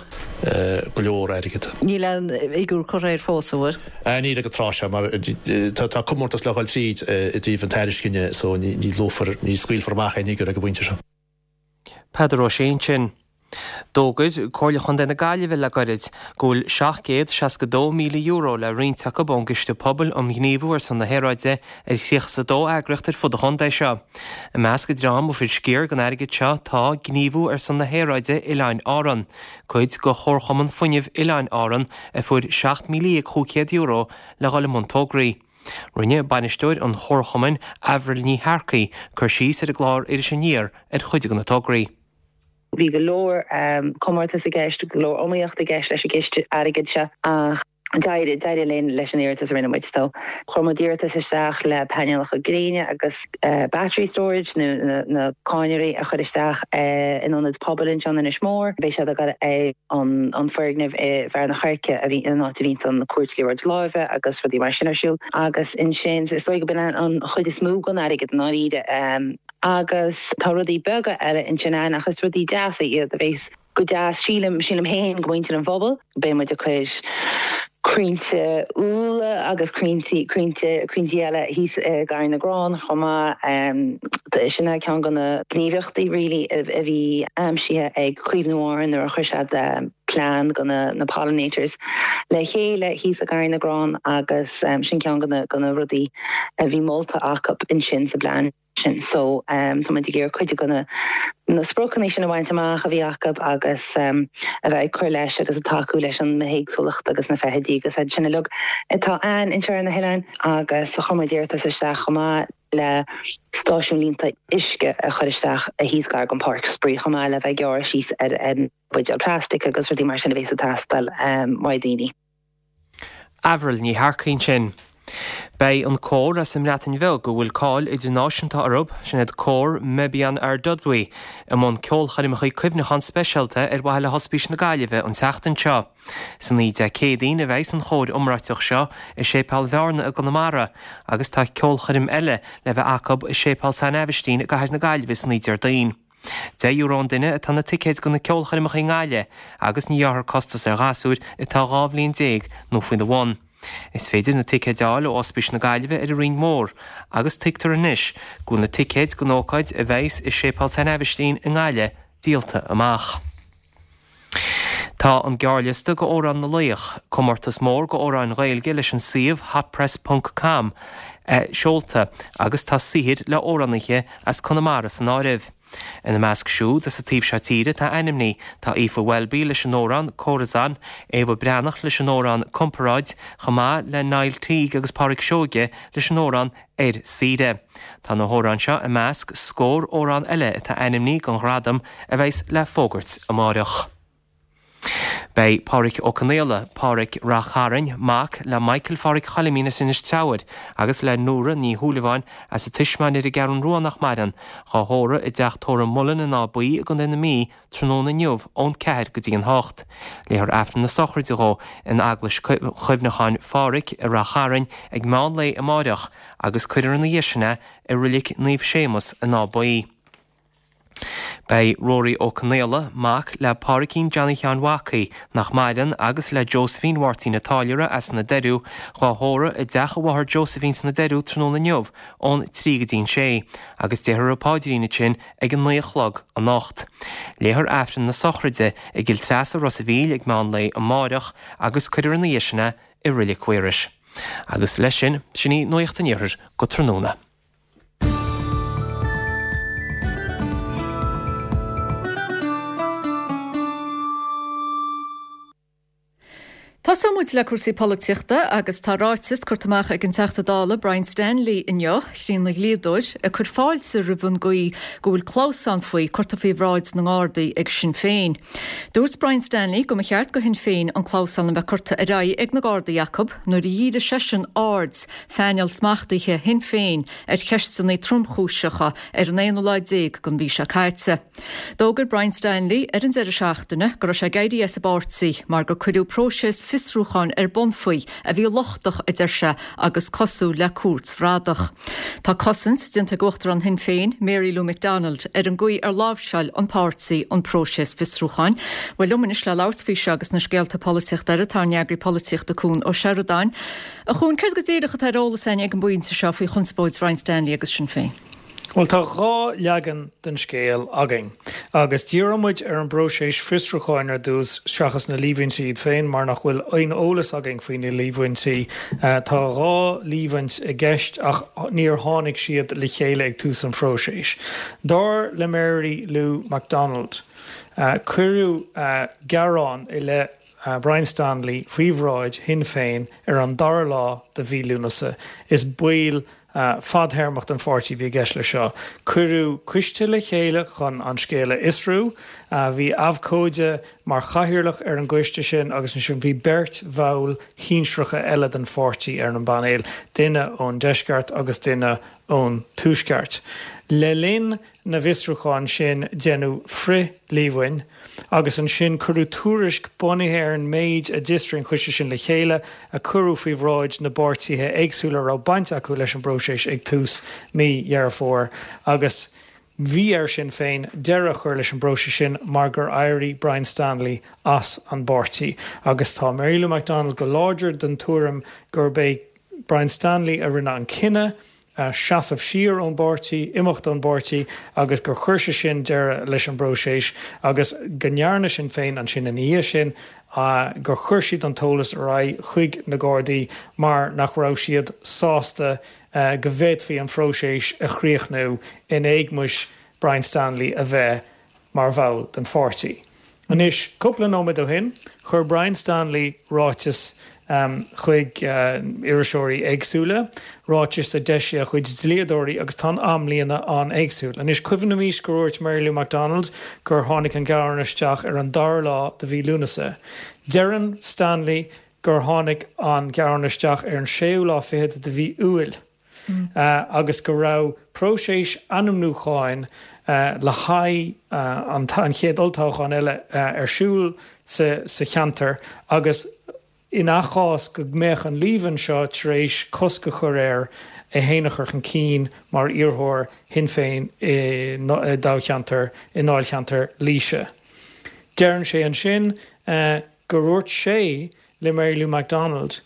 [SPEAKER 12] Go leor airgead.
[SPEAKER 13] Níl aon fhigiúr curtha air fós an bhfuil?
[SPEAKER 12] Níl ag an tráth seo mar tá comórtas le dhul tríd i dtaobh an tairisceana so ní luafar ní scaoilfear amach aon fhigiúr ag an bpointe seo.
[SPEAKER 11] Peadar Ó Sé sin. D'fhógair Comhairle Chontae na Gaillimhe le gairid go bhfuil seacht gcéad seasca dó míle euro le roinnt acu ón gCiste Pobail um Ghníomhú ar son na hAeráide ar thríocha is a dó eagraíocht ar fud an chontae seo. I measc an dream a fuair sciar den airgead seo tá Gníomhú ar son na hAeráide Oileáin Árann, cuid de Chomharchumann Fuinnimh Oileáin Árann a fuair seacht míle dhéag chúig chéad euro le dhul i mbun tograí. Rinne bainisteoir an chomharchumainn, Avril Ní Shearcaigh, cur síos ar an gclár Iris Aniar ar chuid de na tograí.
[SPEAKER 14] Bhí go leor comórtas i gceist, go leor iomaíocht i gceist leis an gciste airgid seo ach d'éirigh d'éirigh linn leis an iarratas a rinne muid. So chuir muid iarratas isteach le painéalacha gréine agus battery storage nó na na cadhnraí a chur isteach in ionad pobail anseo in Inis Mór. Beidh siad ag dul ar an an foirgneamh i bhFearann an Choirce a bhí an áit a bhíonn an cúirt liathróid láimhe agus rudaí mar sin ar siúl. Agus ansin is dóigh go b'in an chuid is mó den airgead i ndáiríre. Agus tá rudaí beaga eile ansin ann ach is rudaí deasa iad a bheas go deas, sílim, sílim féin, go muintir an phobail. Beidh muid ag cur crainnte úlla agus crainnte, crainnte, crainnte eile thíos i nGarraí na gCrann chomh maith. Sin é ceann de na gníomhaíochtaí really a bhí aimsithe ag Caomhnú Árann nuair a chuir siad plean do na na pollinators le chéile thíos i nGarraí na gCrann agus sin ceann de na de na rudaí a bhí molta acu ansin sa bplean. sin. So tá muid ag iarraidh cuid de na na spriocanna sin a bhaint amach a bhí acu agus a bheith ag cur leis agus ag tacú leis an mbithéagsúlacht agus na feithidí agus iad sin uilig atá ann anseo ar na hoileáin agus chuir muid iarratas isteach chomh maith le stáisiún líonta uisce a chur isteach thíos gar don pháirc spraoi chomh maith le bheith ag gearradh síos ar an buidéal plastic agus rudaí mar sin a bhéas ag teastáil uaidh daoine.
[SPEAKER 11] Avril Ní Shearcaigh ansin. Beidh an cór as an mBreatain Bheag a bhfuil cáil idirnáisiúnta orthu, sin iad Cór Meibion Ardudwy, i mbun ceolchoirmeacha cuimhneacháin speisialta ar mhaithe le hOspís na Gaillimhe an tseachtain seo. San oíche Dé Céadaoin a bheidh an chór iomráiteach seo i Séipéal Bhearna i gConamara agus tá ceolchoirm eile le bheith acu i Séipéal San Aibhistín i gcathair na Gaillimhe san oíche Déardaoin. Deich euro an duine atá na ticéid do na ceolchoirmeacha i nGaillimh agus ní ghearrfar costas ar ghasúir atá dhá bhliain déag nó faoina bhun. Is féidir na ticéid a fháil ó Ospís na Gaillimhe ar an Rinn Mhór agus tuigtear anois go bhfuil na ticéid don ócáid a bheas i Séipéal San Aibhistín i nGaillimh díolta amach. Tá an gearrliosta go Amhrán na Laoch, comórtas mór go amhráin Ghaeilge leis an suíomh hotpress ponc com, seolta agus tá saothair le amhránaithe as Conamara san áireamh. Ina measc siúd as an taobh seo tíre atá ainmnithe tá Aoife Welby leis an amhrán 'Corazon', Éabha Breathnach leis an amhrán 'Comparáid' chomh maith le Niall Teague agus Pádraic Seoige leis an amhrán 'Ar Saoire'. Tá na hamhráin seo i measc scór amhrán eile atá ainmnithe don ghradam a bheas le fógairt amáireach. Beidh Pádhraic Ó Conaola, Pádhraic Rath Chairn, mac le Michael Phádhraic Choilimín as Inis Treabhair agus le Nóra Ní Shúilleabháin as an Tismeáin ar an gCeathrú Rua nach maireann, dhá thórramh i dteach tórraimh Mullen in Áth Buí i gContae na Mí tráthnóna inniu ón ceathair go dtí an hocht. Léifear Aifreann na sochraide dhó in Eaglais Chuimhneacháin Phádhraic i Rath Chairn ag meán lae amáireach agus cuirfear ina dhiaidh sin é i Roilic Naomh Séamus in Áth Buí. Beidh Rory Ó Conaola, mac le Pádraicín Johnny Sheáin Mhacaí, nach maireann, agus le Josephine Mháirtín a' Táilliúra as na Doiriú, dhá thórramh i dteach a mháthar Josephine sna Doiriú tráthnóna inniu ón trí go dtí an sé, agus déarfar an paidrín ansin ag a naoi a chlog anocht. Léifear Aifreann na sochraide i gCill Treasa Ros a' Mhíl ag meán lae amáireach agus cuirfear ina dhiaidh sin é i Roilic Mhaorais. Agus leis sin, sin í Nuacht an Iarthair go tráthnóna.
[SPEAKER 1] Tosóidh muid le cúrsaí polaitíochta agus tá ráiteas curtha amach ag an Teachta Dála Brian Stanley inniu, Chríon na dhlíodóir, ag cur fáilte roimh an gcaoi go bhfuil clamhsán faoi curtha faoi bhráid na nGardaí ag Sinn Féin. Dúirt Brian Stanley go mba cheart go Shinn Féin an clamhsán a bheith curtha ar aghaidh ag na Gardaí acu nuair a dhírigh seisean aird phainéal smachtaithe Shinn Féin ar cheisteanna tromchúiseacha ar an aonú lá déag den mhí seo caite. D'fhógair Brian Stanley ar an deireadh seachtaine go raibh sé ag éirí as an bpáirtí mar gur cuireadh próiseas fiosrúcháin ar bun faoi a bhí lochtach, a deir sé, agus cosúil le cúirt bhradach. Tá cosaint déanta ag Uachtarán Shinn Féin, Mary Lou McDonald, ar an gcaoi ar láimhseáil an páirtí an próiseas fiosrúcháin. Bhuel, liom anois le labhairt faoi seo agus na scéalta polaitíochta eile tá ár n-eagraí polaitíochta Cuan Ó Seireadáin. A Chuain, céard go díreach atá ar eolas againn ag an bpointe seo faoi chonspóid Brian Stanley agus Sinn Féin?
[SPEAKER 15] Bhuel, tá dhá leagan den scéal againn. Agus díreoidh muid ar an bpróiseas fiosrúcháin ar dtús seachas na líomhaintí iad féin mar nach bhfuil aon eolas againn faoi na líomhaintí. Tá dhá líomhaint i gceist ach níor tháinig siad le chéile ag tús an phróisis. Dar le Mary Lou McDonald, cuireadh gearán i leith Brian Stanley faoi bhráid Shinn Féin ar an dara lá de mhí Lúnasa. Is baill fadthéarmach den pháirtí a bhí i gceist leis seo. Cuireadh coiste le chéile chun an scéal a fhiosrú. Bhí abhcóide mar chathaoirleach ar an gcoiste sin agus ansin bhí beirt bhall shinsearacha eile den pháirtí ar an bpainéal, duine ón deisceart agus duine ón tuaisceart. Le linn na bhfiosrúchán sin deineadh frith-líomhain agus ansin cuireadh tuairisc bunaithe ar an méid a d'fhiosraigh an coiste sin le chéile a cuireadh faoi bhráid na bpáirtithe éagsúla a raibh baint acu leis an bpróiseas ag tús mí Dheireadh Fómhair agus bhí ar Sinn Féin deireadh a chur leis an bpróiseas sin mar gur éirigh Brian Stanley as an bpáirtí agus tá Mary Lou McDonald go láidir den tuairim gurb é Brian Stanley a rinne an cinneadh seasamh siar ón bpáirtí, imeacht ón bpáirtí agus gur chuir sé sin deireadh leis an bpróiseas agus go ndearna Sinn Féin ansin ina dhiaidh sin gur chuir siad an t-eolas ar aghaidh chuig na Gardaí mar nach raibh siad sásta go bhféadfaí an phróiseas a chríochnú in éagmais Brian Stanley a bheith mar bhall den pháirtí. Anois, cúpla nóiméad ó shin, chuir Brian Stanley ráiteas chuig iriseoirí éagsúla, ráiteas a d'eisigh a chuid dlíodóirí agus tá an amlíne an-éagsúil. Anois, cuimhnímis gur dhúirt Mary Lou McDonald gur tháinig an gearán isteach ar an dara lá de mhí Lúnasa. Deireann Stanley gur tháinig an gearán isteach ar an séú lá fichead de mhí Iúil agus go raibh próiseas ainmniúcháin le haghaidh an chéad olltoghchán eile ar siúl sa cheantar agus ina chás go mbeadh an líomhain seo tar éis cosc a chur air é féin a chur chun cinn mar iarrthóir Shinn Féin i dtoghcheantar i ndáilcheantar Laoise. Deireann sé ansin gur dhúirt sé le Mary Lou McDonald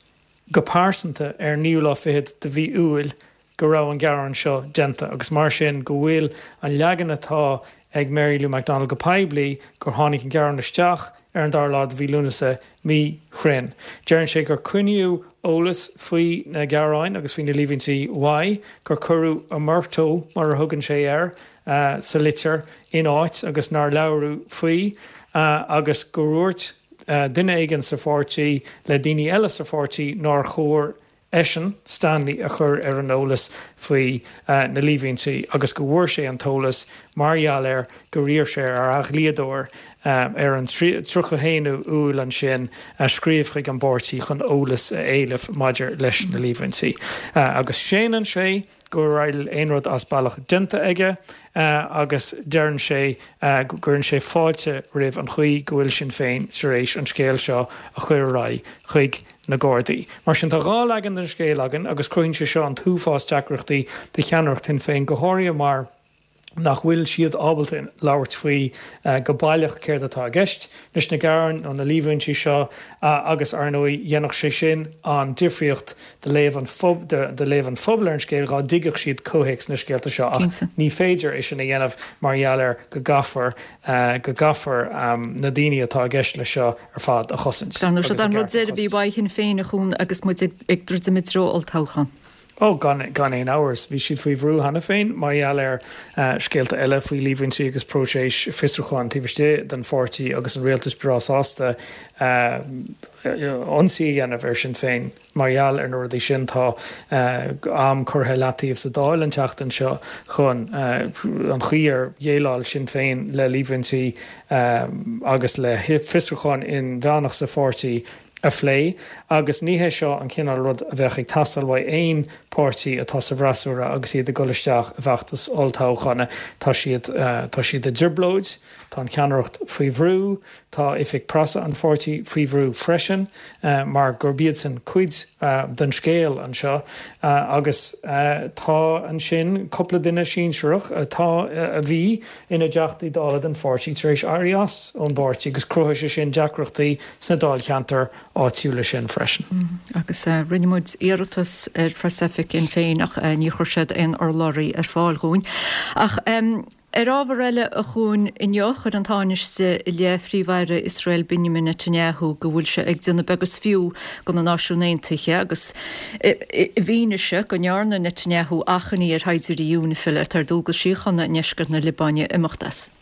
[SPEAKER 15] go pearsanta ar an naoú lá fichead de mhí Iúil go raibh an gearán seo déanta agus mar sin go bhfuil an leagan atá ag Mary Lou McDonald go poiblí gur tháinig an gearán isteach ar an dara lá de mhí Lúnasa míchruinn. Deireann sé gur coinníodh eolas faoi na gearáin agus faoi na líomhaintí uaidh, gur cuireadh omertà, mar a thugann sé air, sa litir in áit agus nár labhradh faoi agus gur dhúirt duine éigin sa pháirtí le daoine eile sa pháirtí nár chóir eisean, Stanley, a chur ar an eolas faoi na líomhaintí agus go bhfuair sé an t-eolas mar gheall ar gur iarr sé ar a dhlíodóir ar an tríocha a haon Iúil ansin scríobh chuig an bpáirtí chun eolas a éileamh maidir leis na líomhaintí. Agus séanann sé go raibh aon rud as bealach déanta aige agus deireann sé go gcuireann sé fáilte roimh an chaoi go bhfuil Sinn Féin tar éis an scéal seo a chur ar aghaidh chuig na Gardaí. Mar sin, tá dhá leagan den scéal againn agus cruthaíonn sé seo an t-uafás deacrachtaí do cheannaireacht Shinn Féin, go háirithe mar nach bhfuil siad ábalta labhairt faoi go baileach céard atá i gceist leis na gearáin nó na líomhaintí seo agus, ar ndóigh, dhéanfadh sé sin an difríocht do léamh an do léamh an phobail ar an scéal dhá dtuigfeadh siad comhthéacs na scéalta seo ach ní féidir é sin a dhéanamh mar gheall ar go gcaithfear go gcaithfear na daoine atá i gceist leis seo ar fad a chosaint
[SPEAKER 1] Dar ndóigh, siod an rud deiridh a bhí uaidh Shinn Féin a Chuan agus muid ag druidim i dtreo olltoghchán.
[SPEAKER 15] Ó, gan gan aon amhras. Bhí siad faoi bhrú cheana féin mar gheall ar scéalta eile faoi líomhaintí agus próiseas fiosrúcháin taobh istigh den pháirtí agus an rialtas breá sásta ionsaí a dhéanamh ar Sinn Féin mar gheall ar na rudaí sin. Tá am curtha i leataobh sa Dáil an tseachtain seo chun an chaoi ar dhéileáil Sinn Féin le líomhaintí agus le fiosrúchán inmheánach sa pháirtí a phlé agus ní hé seo an cineál rud a bheadh ag teastáil uaidh aon pháirtí atá sa bhfreasúra agus iad ag dul isteach i bhfeachtas olltoghchána. Tá siad tá siad i dtrioblóid, tá an cheannaireacht faoi bhrú, tá oifig preasa an pháirtí faoi bhrú freisin mar gurb iadsan cuid den scéal anseo agus tá ansin cúpla duine sinsearach atá a bhí ina dTeachtaí Dála den pháirtí tar éis éirí as ón bpáirtí agus chruthaigh sé sin deacrachtaí sna dáilcheantair áitiúla sin freisin.
[SPEAKER 1] Agus rinne muid iarratas ar phreasoifig Shinn Féin ach níor chuir siad aon urlabhraí ar fáil dhúinn. Ach Ar ábhar eile a Chuain, inniu chuir an Tánaiste i leith Phríomh-Aire Iosrael Benjamin Netanyahu go bhfuil sé ag déanamh beag is fiú de na Náisiúin Aontaithe agus i bhfianaise go ndearna Netanyahu achainí ar shaighdiúirí UNIFIL atá ar dualgas síochána i ndeisceart na Liobáine imeacht as.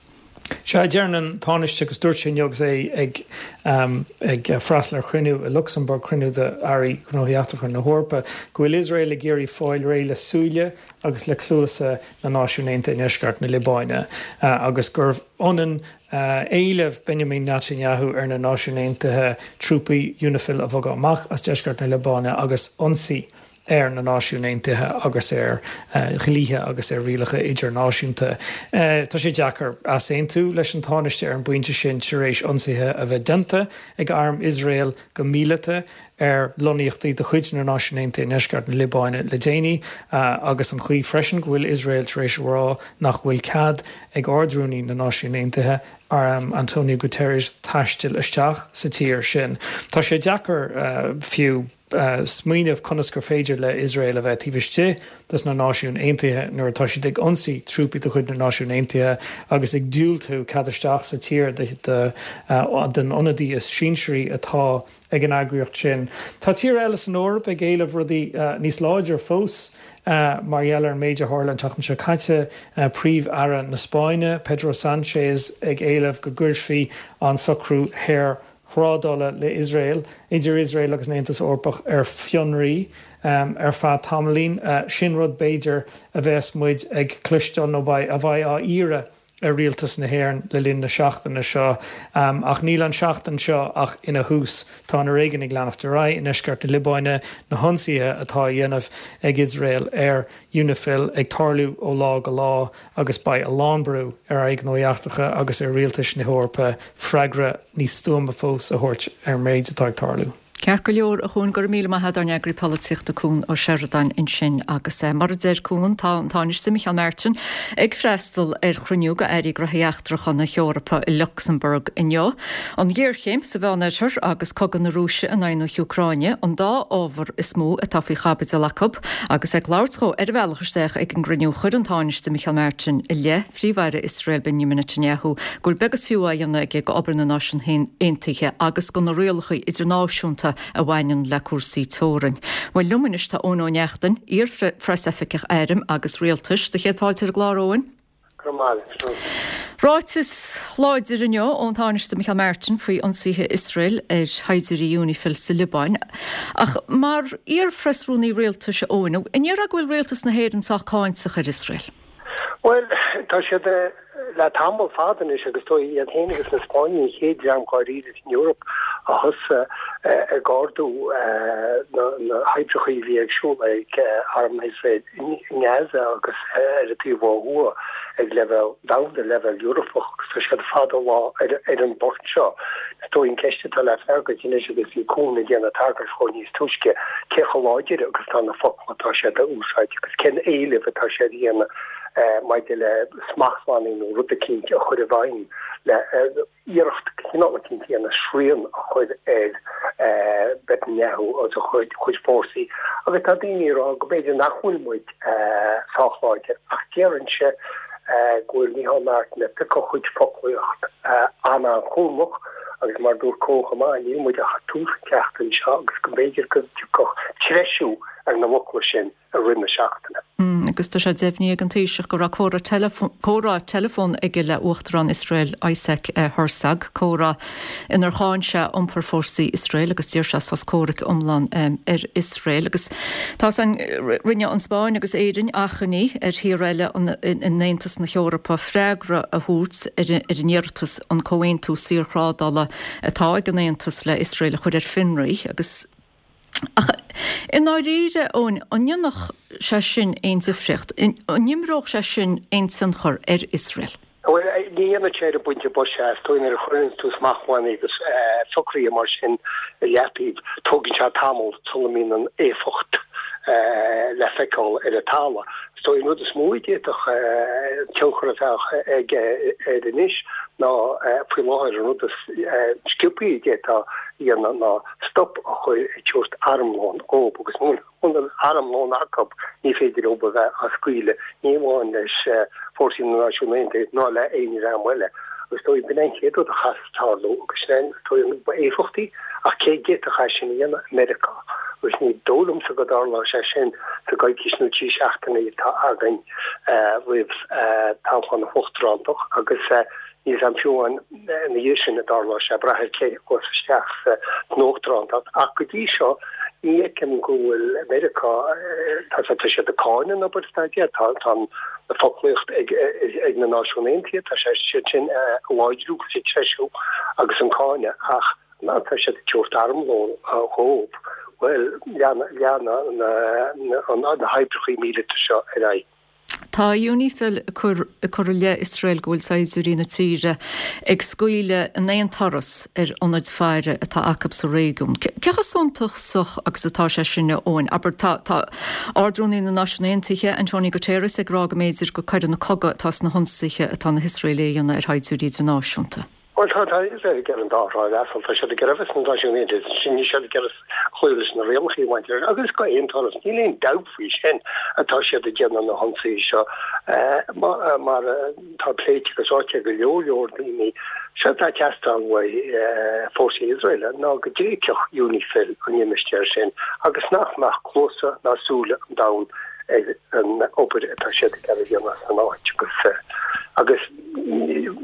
[SPEAKER 15] Sea, deireann an Tánaiste agus dúirt sé inniu agus é ag ag freastal ar chruinniú i Lucsamburg, cruinniú d'Airí Gnóthaí Eachtracha na hEorpa, go bhfuil Iosrael ag iarraidh fáil réidh le súile agus le cluasa na Náisiún Aontaithe i ndeisceart na Liobáine agus gurbh ionann éileamh Benjamin Netanyahu ar na Náisiúin Aontaithe trúpaí UNIFIL a bhogadh amach as deisceart na Liobáine agus ionsaí ar na Náisiúin Aontaithe agus ar dhlíthe agus ar rialacha idirnáisiúnta. Tá sé deacair easaontú leis an Tánaiste ar an bpointe sin tar éis ionsaithe a bheith déanta ag arm Iosrael go míleata ar lonnaíochtaí de chuid na Náisiún Aontaithe i ndeisceart na Liobáine le déanaí agus an chaoi freisin go bhfuil Iosrael tar éis a rá nach bhfuil cead ag Ard-Rúnaí na Náisiún Aontaithe, Antonio Guterres, taisteal isteach sa tír sin. Tá sé deacair fiú smaoineamh conas gur féidir le Iosrael a bheith taobh istigh des na Náisiúin Aontaithe nuair atá siad ag ionsaí trúpaí de chuid na Náisiún Aontaithe agus ag diúltú cead isteach sa tír den ionadaí is sinsearaí atá ag an eagraíocht sin. Tá tíortha eile san Eoraip ag éileamh rudaí níos láidre fós mar gheall ar an méid a tharla an tseachtain seo caite, Príomh-Aire na Spáinne, Pedro Sánchez ag éileamh go gcuirfí an socrú shaorthrádála le Iosrael, idir Iosrael agus an Aontas Eorpach ar fionraí ar feadh tamaillín. Sin rud b'fhéidir a bheas muid ag cloisteáil nó a bheidh á iarraidh ar rialtas na hÉireann le linn na seachtaine seo. Ach níl an seachtain seo ach ina thús. Tá an foréigean ag leanacht ar aghaidh i ndeisceart na Liobáine, na hionsaithe atá á dhéanamh ag Iosrael ar UNIFIL ag tarlú ó lá go lá agus beidh a lán brú ar Airí Gnóthaí Eachtracha agus ar rialtais na hEorpa freagra níos stuama fós a thabhairt ar an méid atá ag tarlú.
[SPEAKER 1] Ceart go leor, a Chuain, go raibh míle maith agat, ár n-eagraí polaitíochta Cuan Ó Seireadáin ansin agus mar a deir Cuan, tá an Tánaiste Micheál Martin ag freastal ar chruinniú de Airí Gnóthaí Eachtracha na hEorpa i Lucsamburg inniu. An ghéarchéim sa Mheánoirthear agus cogadh na Rúise in aghaidh na hÚcráine an dá ábhar is mó atá faoi chaibidil acu agus ag labhairt dhó ar a bhealach isteach ag an gcruinniú chuir an Tánaiste Micheál Martin i leith Phríomh-Aire Iosrael Benjamin Netanyahu go bhfuil beag is fiú á dhéanamh aige d'obair na Náisiún Aontaithe agus de na rialacha idirnáisiúnta a bhaineann le cúrsaí teorann. Bhuel, liom anois tá Eoin Ó Neachtain, iar-phreasoifigeach airm agus rialtais. Do chéad fáilte ar an gclár, Eoin.
[SPEAKER 16] Go raibh maith agat.
[SPEAKER 1] Ráiteas láidir inniu ón Tánaiste Micheál Martin faoi ionsaithe Iosrael ar shaighdiúirí UNIFIL sa Liobáin. Ach mar iar-phreasrúnaí rialtais, a Eoin, an ndéarfá go bhfuil rialtas na hÉireann sách cáinteach ar Iosrael?
[SPEAKER 16] Bhuel, tá siad le tamall fada anois agus tá iad féin agus na Spáinnigh an chéad dream dháiríre san Eoraip a thosaigh ag ardú na hoibreacha a bhí ar siúl ag arm Iosrael i nGaza agus ar an taobh ó thuaidh ag leibhéal domhanda, leibhéal Eorpach agus tá siad fada an lá ar an bport seo. Is dóigh an ceist atá le freagairt anois agus bhí Cuan ag déanamh tagairt dhó níos túisce, cé chomh láidir agus atá na focla atá siad a úsáid agus cén éileamh atá siad a dhéanamh maidir le smachtbhannaí nó rud eicínt a chur i bhfeidhm le iarracht cineál eicínt a dhéanamh srian a chur ar Netanyahu agus a chuid fórsaí. Agus tá daoine ag rá go mb'fhéidir nach bhfuil muid sách láidir ach déarfainnse go bhfuil Micheál Martin ag piocadh a chuid foclaíocht an-an-chúramach agus mar dúirt Cuan chomh maith níl muid ach ag tús an tseachtain seo agus go mb'fhéidir go dtiocfadh treisiú ar na focla sin i rith na seachtaine.
[SPEAKER 1] Agus tá sé deimhnithe ag an Taoiseach go raibh comhrá teileafóin aige le Uachtarán Iosrael Isaac Herzog, comhrá inar cháin sé iompar fórsaí Iosrael agus d'iarr sé sos comhraic iomlán ar Iosrael. Agus tá san, rinne an Spáinn agus Éirinn achainí ar thíortha eile in Aontas na hEorpa freagra a thabhairt ar an iarratas an comhaontú saorthrádála atá ag an Aontas le Iosrael a chur ar fionraí agus Ach i ndáiríre, Eoin, an ndéanfadh sé sin aon difríocht? An imreodh sé sin aon tionchar ar Iosrael?
[SPEAKER 16] Bhuel, ní dhéanfadh sé ar an bpointe boise. Is dóigh nuair a chuireann tú smachtbhannaí agus socruithe mar sin i leataobh, tógann sé tamall sula mbíonn an éifeacht le feiceáil ar an talamh. Is dóigh an rud is mó a d'fhéadfadh tionchar a bheith aige air anois ná faoi láthair an rud is sciobthaí a d'fhéadfá a dhéanamh ná stop a chur ag tabhairt armlón dhóibh agus muna bhfuil armlón acu ní féidir leo a bheith á scaoileadh, ní amháin leis fórsaí na Náisiún Aontaithe ná le aon dream eile. Agus dóigh, b'in é an chéad rud a chaithfeas tarlú agus sin é an dóigh an ba éifeachtaí, ach cé a d'fhéadfadh é sin a dhéanamh? Meiriceá. Agus ní dóigh liomsa go dtarlóidh sé sin sa gcoicís nó trí seachtainí atá againn roimh toghchán na huachtarántacht agus níl 's a'm fiú amháin ina dhiaidh sin a dtarlóidh sé, ag brath ar cé a ghabhfas isteach san uachtarántacht. Ach go dtí seo ní fheicim go bhfuil Meiriceá, tá tá siad ag cáineadh an obair atá déanta, tá tá an foclaíocht ag ag na Náisiúin Aontaithe, tá sé siad sin a láidriú agus ag treisiú agus an cáineadh ach má tá siad ag tabhairt armlón dhóibh, bhuel leanfaidh leanfaidh na na hoibreachaí míleata seo ar aghaidh.
[SPEAKER 1] Tá UNIFIL ag cur ag cur i leith Iosrael go bhfuil saighdiúirí na tíre ag scaoileadh in aon turas ar ionaid faire atá acu sa réigiún. Cé chomh suntasach agus atá sé sin, a Eoin? Abair, tá tá Ard-Rúnaí na Náisiún Aontaithe, Antonio Guterres, ag rá go mb'fhéidir gur coireanna cogaidh atá sna hionsaithe atá na hIosraelaigh a dhéanamh ar shaighdiúirí idirnáisiúnta.
[SPEAKER 16] Bhuel, tá, tá Iosrael ag iarraidh an dá thrá a fhreastal. Tá siad ag iarraidh a bheith sna Náisiúin Aontaithe, ansin níl siad ag iarraidh cloí leis na rialacha maidir leis, agus go aon turas, níl aon dabht faoi sin, atá siad ag déanamh na hionsaithe seo. Mar atá pléite agus ráite ag go leor leor daoine, séard atá ag teastáil uaidh fórsaí Iosrael ná go dtréigfeadh UNIFIL an limistéar sin agus nach mbeadh cluasa ná súile an domhain ar an obair atá siad ag iarraidh a dhéanamh san áit agus agus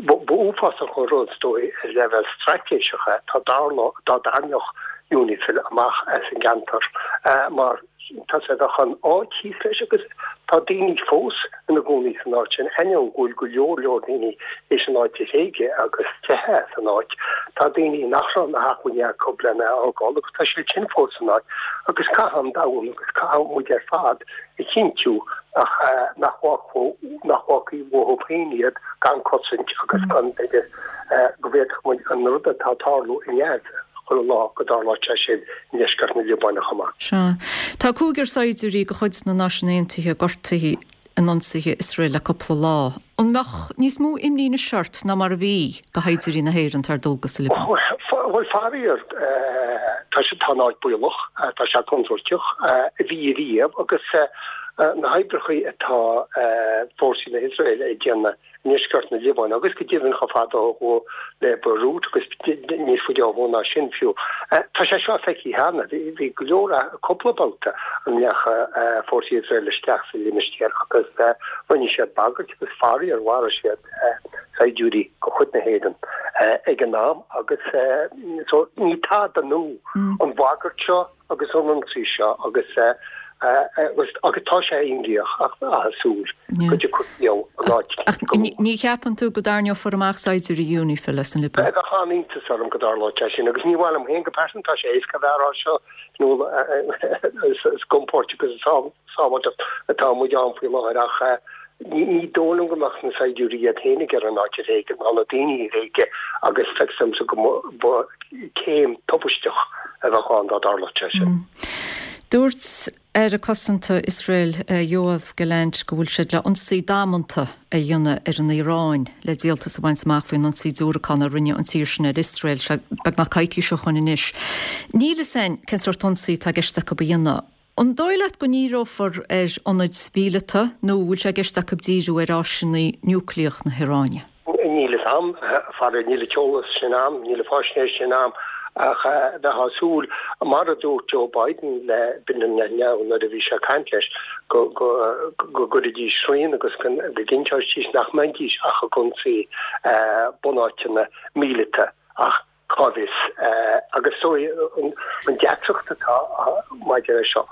[SPEAKER 16] ba uafásach an rud is dóigh ar leibhéal straitéiseach é dá dtarlódh dá dtarraingeodh UNIFIL amach as an gceantar mar tá sé bheadh an áit thíos leis agus tá daoine fós ina gcónaí san áit sin ainneoin go bhfuil go leor leor daoine théis an áit a thréigeadh agus teitheadh as an áit. Tá daoine nach raibh na hacmhainní acu lena fhágáil agus tá siad sin fós san áit agus caithfidh an domhan agus caithfidh muid ar fad a chinntiú nach nach nach bhfágfaí uathu féin iad gan cosaint agus gan b'fhéidir go bhféadfadh muid an rud atá ag tarlú i nGaza chuile lá go dtarlódh sé sin i ndeisceart na Liobáine chomh maith.
[SPEAKER 1] Sea. Tá cúigear saighdiúirí de chuid na Náisiún Aontaithe gortaithe in ionsaithe Iosrael le cúpla lá. An mbeadh níos mó imní anois ort ná mar a bhí do shaighdiúirí na hÉireann atá ar dualgas sa Liobáin?
[SPEAKER 16] Bhuel, faraor, tá sé, tá an áit baolach, tá sé contúirteach, a bhí riamh agus na hoibreacha atá fórsaí na hIosraeile ag déanamh i ndeisceart na Liobáine agus go deimhin chomh fada ó thuaidh le Beirut agus níos faide ó thuaidh ná sin fiú. Tá sé seo feicthe cheana. Bhí go leor, cúpla babhta a ndeachaigh fórsaí Iosrael isteach sa limistéar agus rinne siad bagairt agus faraor mharaigh siad saighdiúirí de chuid na hÉireann ag an am agus so ní tada nua an bhagairt seo agus an ionsaí seo agus agus agus tá sé imníoch ach ag súil go dtiocfaidh leo an áit
[SPEAKER 1] Ach go ní cheapann tú go dtarraingeofar amach saighdiúirí UNIFIL as an Liobáin?
[SPEAKER 16] Bheadh an-iontas orm go dtarlódh sé sin agus ní mhaith liom féin go pearsanta, tá sé éasca a bheith á rá seo nó is i gcompord agus i sábháilteacht atá muid ann faoi láthair ach ní dóigh liom go mbeadh na saighdiúirí iad féin ag iarraidh an áit a thréigean ná na daoine a thréigean agus feictear domsa go mba céim tubaisteach a bheadh ann dá dtarlódh sé sin.
[SPEAKER 1] Dúirt Aire Cosanta Iosrael Yoav Gallant go bhfuil siad le ionsaí damanta a dhéanamh ar an Iaráin le díoltas a bhaint amach faoin ionsaí diúracán a rinne an tír sin ar Iosrael beagnach coicís ó shoin anois. Níl fhios againn cén sórt ionsaí atá i gceist acu a dhéanamh. An dóigh leat go ndíreofar ar ionaid mhíleata nó an bhfuil sé i gceist acu díriú ar áiseanna núicléach na hIaráine?
[SPEAKER 16] Níl fhios a'm, faraor, níl an t-eolas sin a'm, níl an fáisnéis sin a'm ach bheifeá ag súil, mar a dúirt Joe Biden le Benjamin Netanyahu nuair a bhí sé ag caint leis, go go gcuirfidís srian agus go gcinnteoidís nach mbeidís ach ag ionsaí bunáiteanna míleata ach Cá bhfios? Agus is dóigh an deacracht atá maidir leis seo,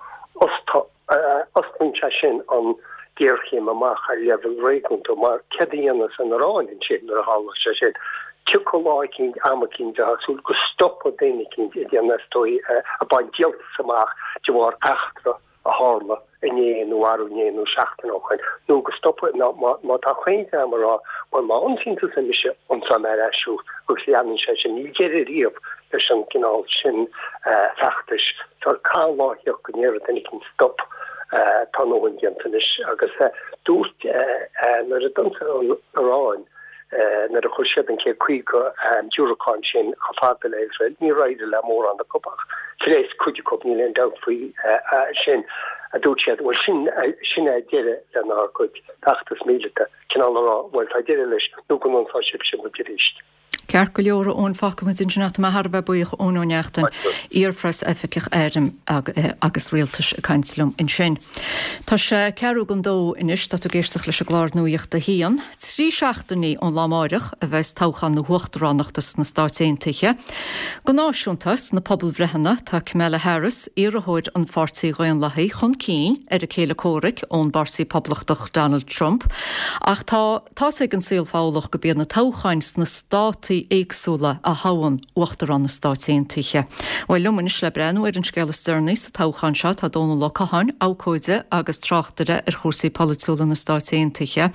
[SPEAKER 16] osclaíonn sé sin an ghéarchéim amach ar leibhéal réigiúnda, mar céard a dhéanfas an Iaráin ansin nuair a tharlós sé sin? Tiocfaidh lá eicínt, am eicínt, bheifeá ag súil go stopfaidh duine eicínt ag déanamh, is dóigh, ag baint díoltas amach de bharr eachtra a tharla inné nó arú inné nó seachtain ó shoin, nó go stopfaidh, nó má tá chaon dream ag rá, bhuel, má ionsaíonn tusa mise, ionsaíonn mé ar ais thú, agus leanann sé sin, níl deireadh riamh leis an gcineál sin feachtais. So caithfidh lá a theacht go ndéarfaidh duine éicint stop, tá a ndóthain déanta anois. Agus dúirt, nuair a d'ionsaigh an Iaráin, Nuair a chuir siad an céad caoga diúracán sin chomh fada le Iosrael, níor éirigh le mórán acu ach phléasc cuid acu, níl aon dabht faoi sin. a dúirt siad, bhuel sin, sin é deireadh lenár gcuid feachtas míleata, cineál a rá, bhuel tá deireadh leis nó go n-ionsaí sibhse muid arís.
[SPEAKER 1] Ceart go leor, a Eoin, fágfaidh muid ansin é. Tá mé thar a bheith buíoch, Eoin Ó Neachtain, iar-phreas-oifigeach airm agus rialtais ag caint liom ansin. Tá sé ceathrú don dó anois, tá tú ag éisteacht leis an gclár Nuacht a hAon. Trí seachtainí ón lá amáireach a bheas toghchán na huachtaránachta sna Stáit Aontaithe. Go náisiúnta, sna pobalbhreitheanna, tá Kamala Harris, iarrthóir an Pháirtí Dhaonlathaigh, chun cinn ar a céile comhraic ón bPáirtí Poblachtach Donald Trump. Ach tá tá's ag an saol Fodhlach gurb iad na toghcháin sna státaí éagsúla a thoghann Uachtarán na Stáit Aontaithe. Bhuel, liom anois le breathnú ar an scéal is deireanaí sa toghchán seo tá Dónal Ó Catháin, abhcóide agus tráchtaire ar chúrsaí polaitiúla na Stáit Aontaithe.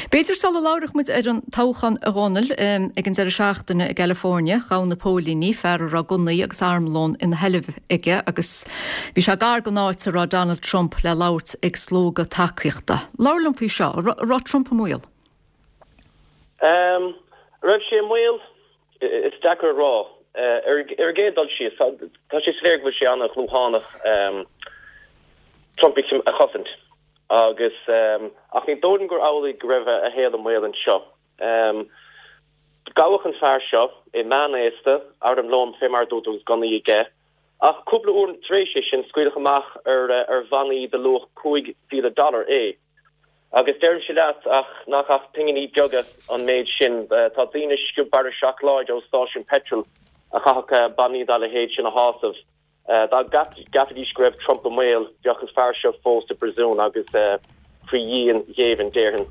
[SPEAKER 1] B'fhéidir sula labhróidh muid ar an toghchán a Dhónaill, ag an deireadh seachtaine i gCalifornia, ghabh na póilíní fear a raibh gunnaí agus armlón ina sheilbh aige agus bhí sé gar don áit a raibh Donald Trump le labhairt ag slógadh tacaíochta. Labhair liom faoi seo, an raibh Trump i mbaol?
[SPEAKER 17] An raibh sé i mbaol? Is deacair a rá. Ar an gcéad dul síos, tá sé soiléir go bhfuil sé an-dhlúthánach Trump a chosaint agus ach ní dóigh liom gur amhlaidh go raibh a shaol i mbaol anseo. Gabhadh an fear seo, é meánaosta, armlón fé mar a dúirt tú agus gunnaí aige, ach cúpla uair tar éis é sin scaoileadh amach ar bhannaí de luach cúig mhíle dollar é. Agus deirimse leat ach nach ach pinginí beaga an méid sin. Tá daoine ag sciob barra seacláide ó stáisiún peitril a chaithfeadh bannaí dá leithéid sin a shásamh. Dá gceapfaidís go raibh Trump i mbaol, bheadh an fear seo fós i bpríosún agus faoi dhíon ghéibhinn, déarfainn,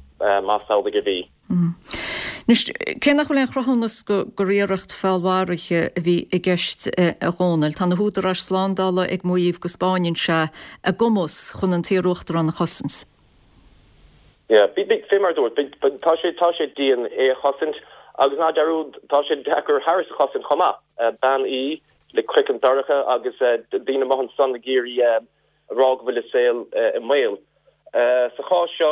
[SPEAKER 17] más amhlaidh a bhí.
[SPEAKER 1] Anois, cé nach bhfuil aon chruthúnas gur iarracht feallmharaithe a bhí i gceist, a Dhónaill, tá na húdaráis slándála ag maíomh go 'spáineann sé a gcumas chun an t-iar-uachtarán a chosaint.
[SPEAKER 17] Yeah, fé mar a dúirt, tá sé, tá sé dian é a chosaint agus ná dearúd, tá sé deacair Harris a chosaint chomh maith. Bean í le craiceann dorcha agus daoine amuigh ansan ag iarraidh a rá go bhfuil a saol i mbaol. Sa chás seo,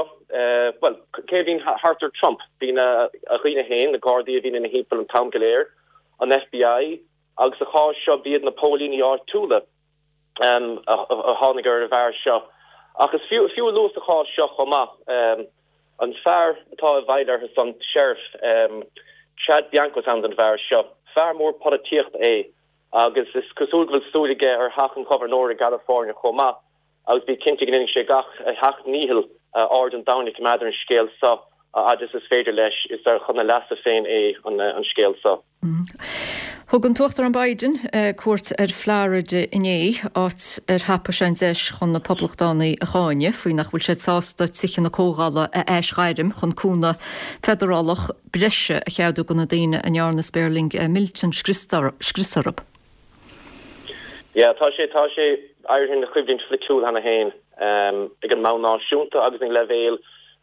[SPEAKER 17] bhuel, cé a bhíonn thart ar Trump? Bíonn a dhaoine féin, na Gardaí a bhíonn ina thimpeall an t-am go léir, an FBI agus sa chás seo b'iad na póilíní áitiúla a tháinig ar an bhfear seo. Ach is fiú fiú a lua sa chás seo chomh maith, an fear atá i bhfeighil orthu san, Sheriff Chad Bianco is ainm don bhfear seo. Fear mór polaitíochta é agus is cosúil go bhfuil súil aige ar theach an ghobharnóra i gCalifornia chomh maith agus bí cinnte go ndéanfaidh sé gach a sheacht ndícheall aird an domhain a choimeád ar an scéal seo a fhad is is féidir leis. Is chun a leasa féin é an scéal seo.
[SPEAKER 1] Thug an tUachtarán Biden cuairt ar Florida inné, áit ar thapaigh sé an deis chun na Poblachtánaigh a cháineadh faoi nach bhfuil siad sásta Tithe na Comhdhála a aisghairm chun cúnamh feidearálach breise a cheadú do na daoine a ndearna spéirling Milton scrios orthu.
[SPEAKER 17] Yeah, tá sé, tá sé éirithe ina choimhlint pholaitiúil cheana féin ag an mbonn náisiúnta agus ag an leibhéal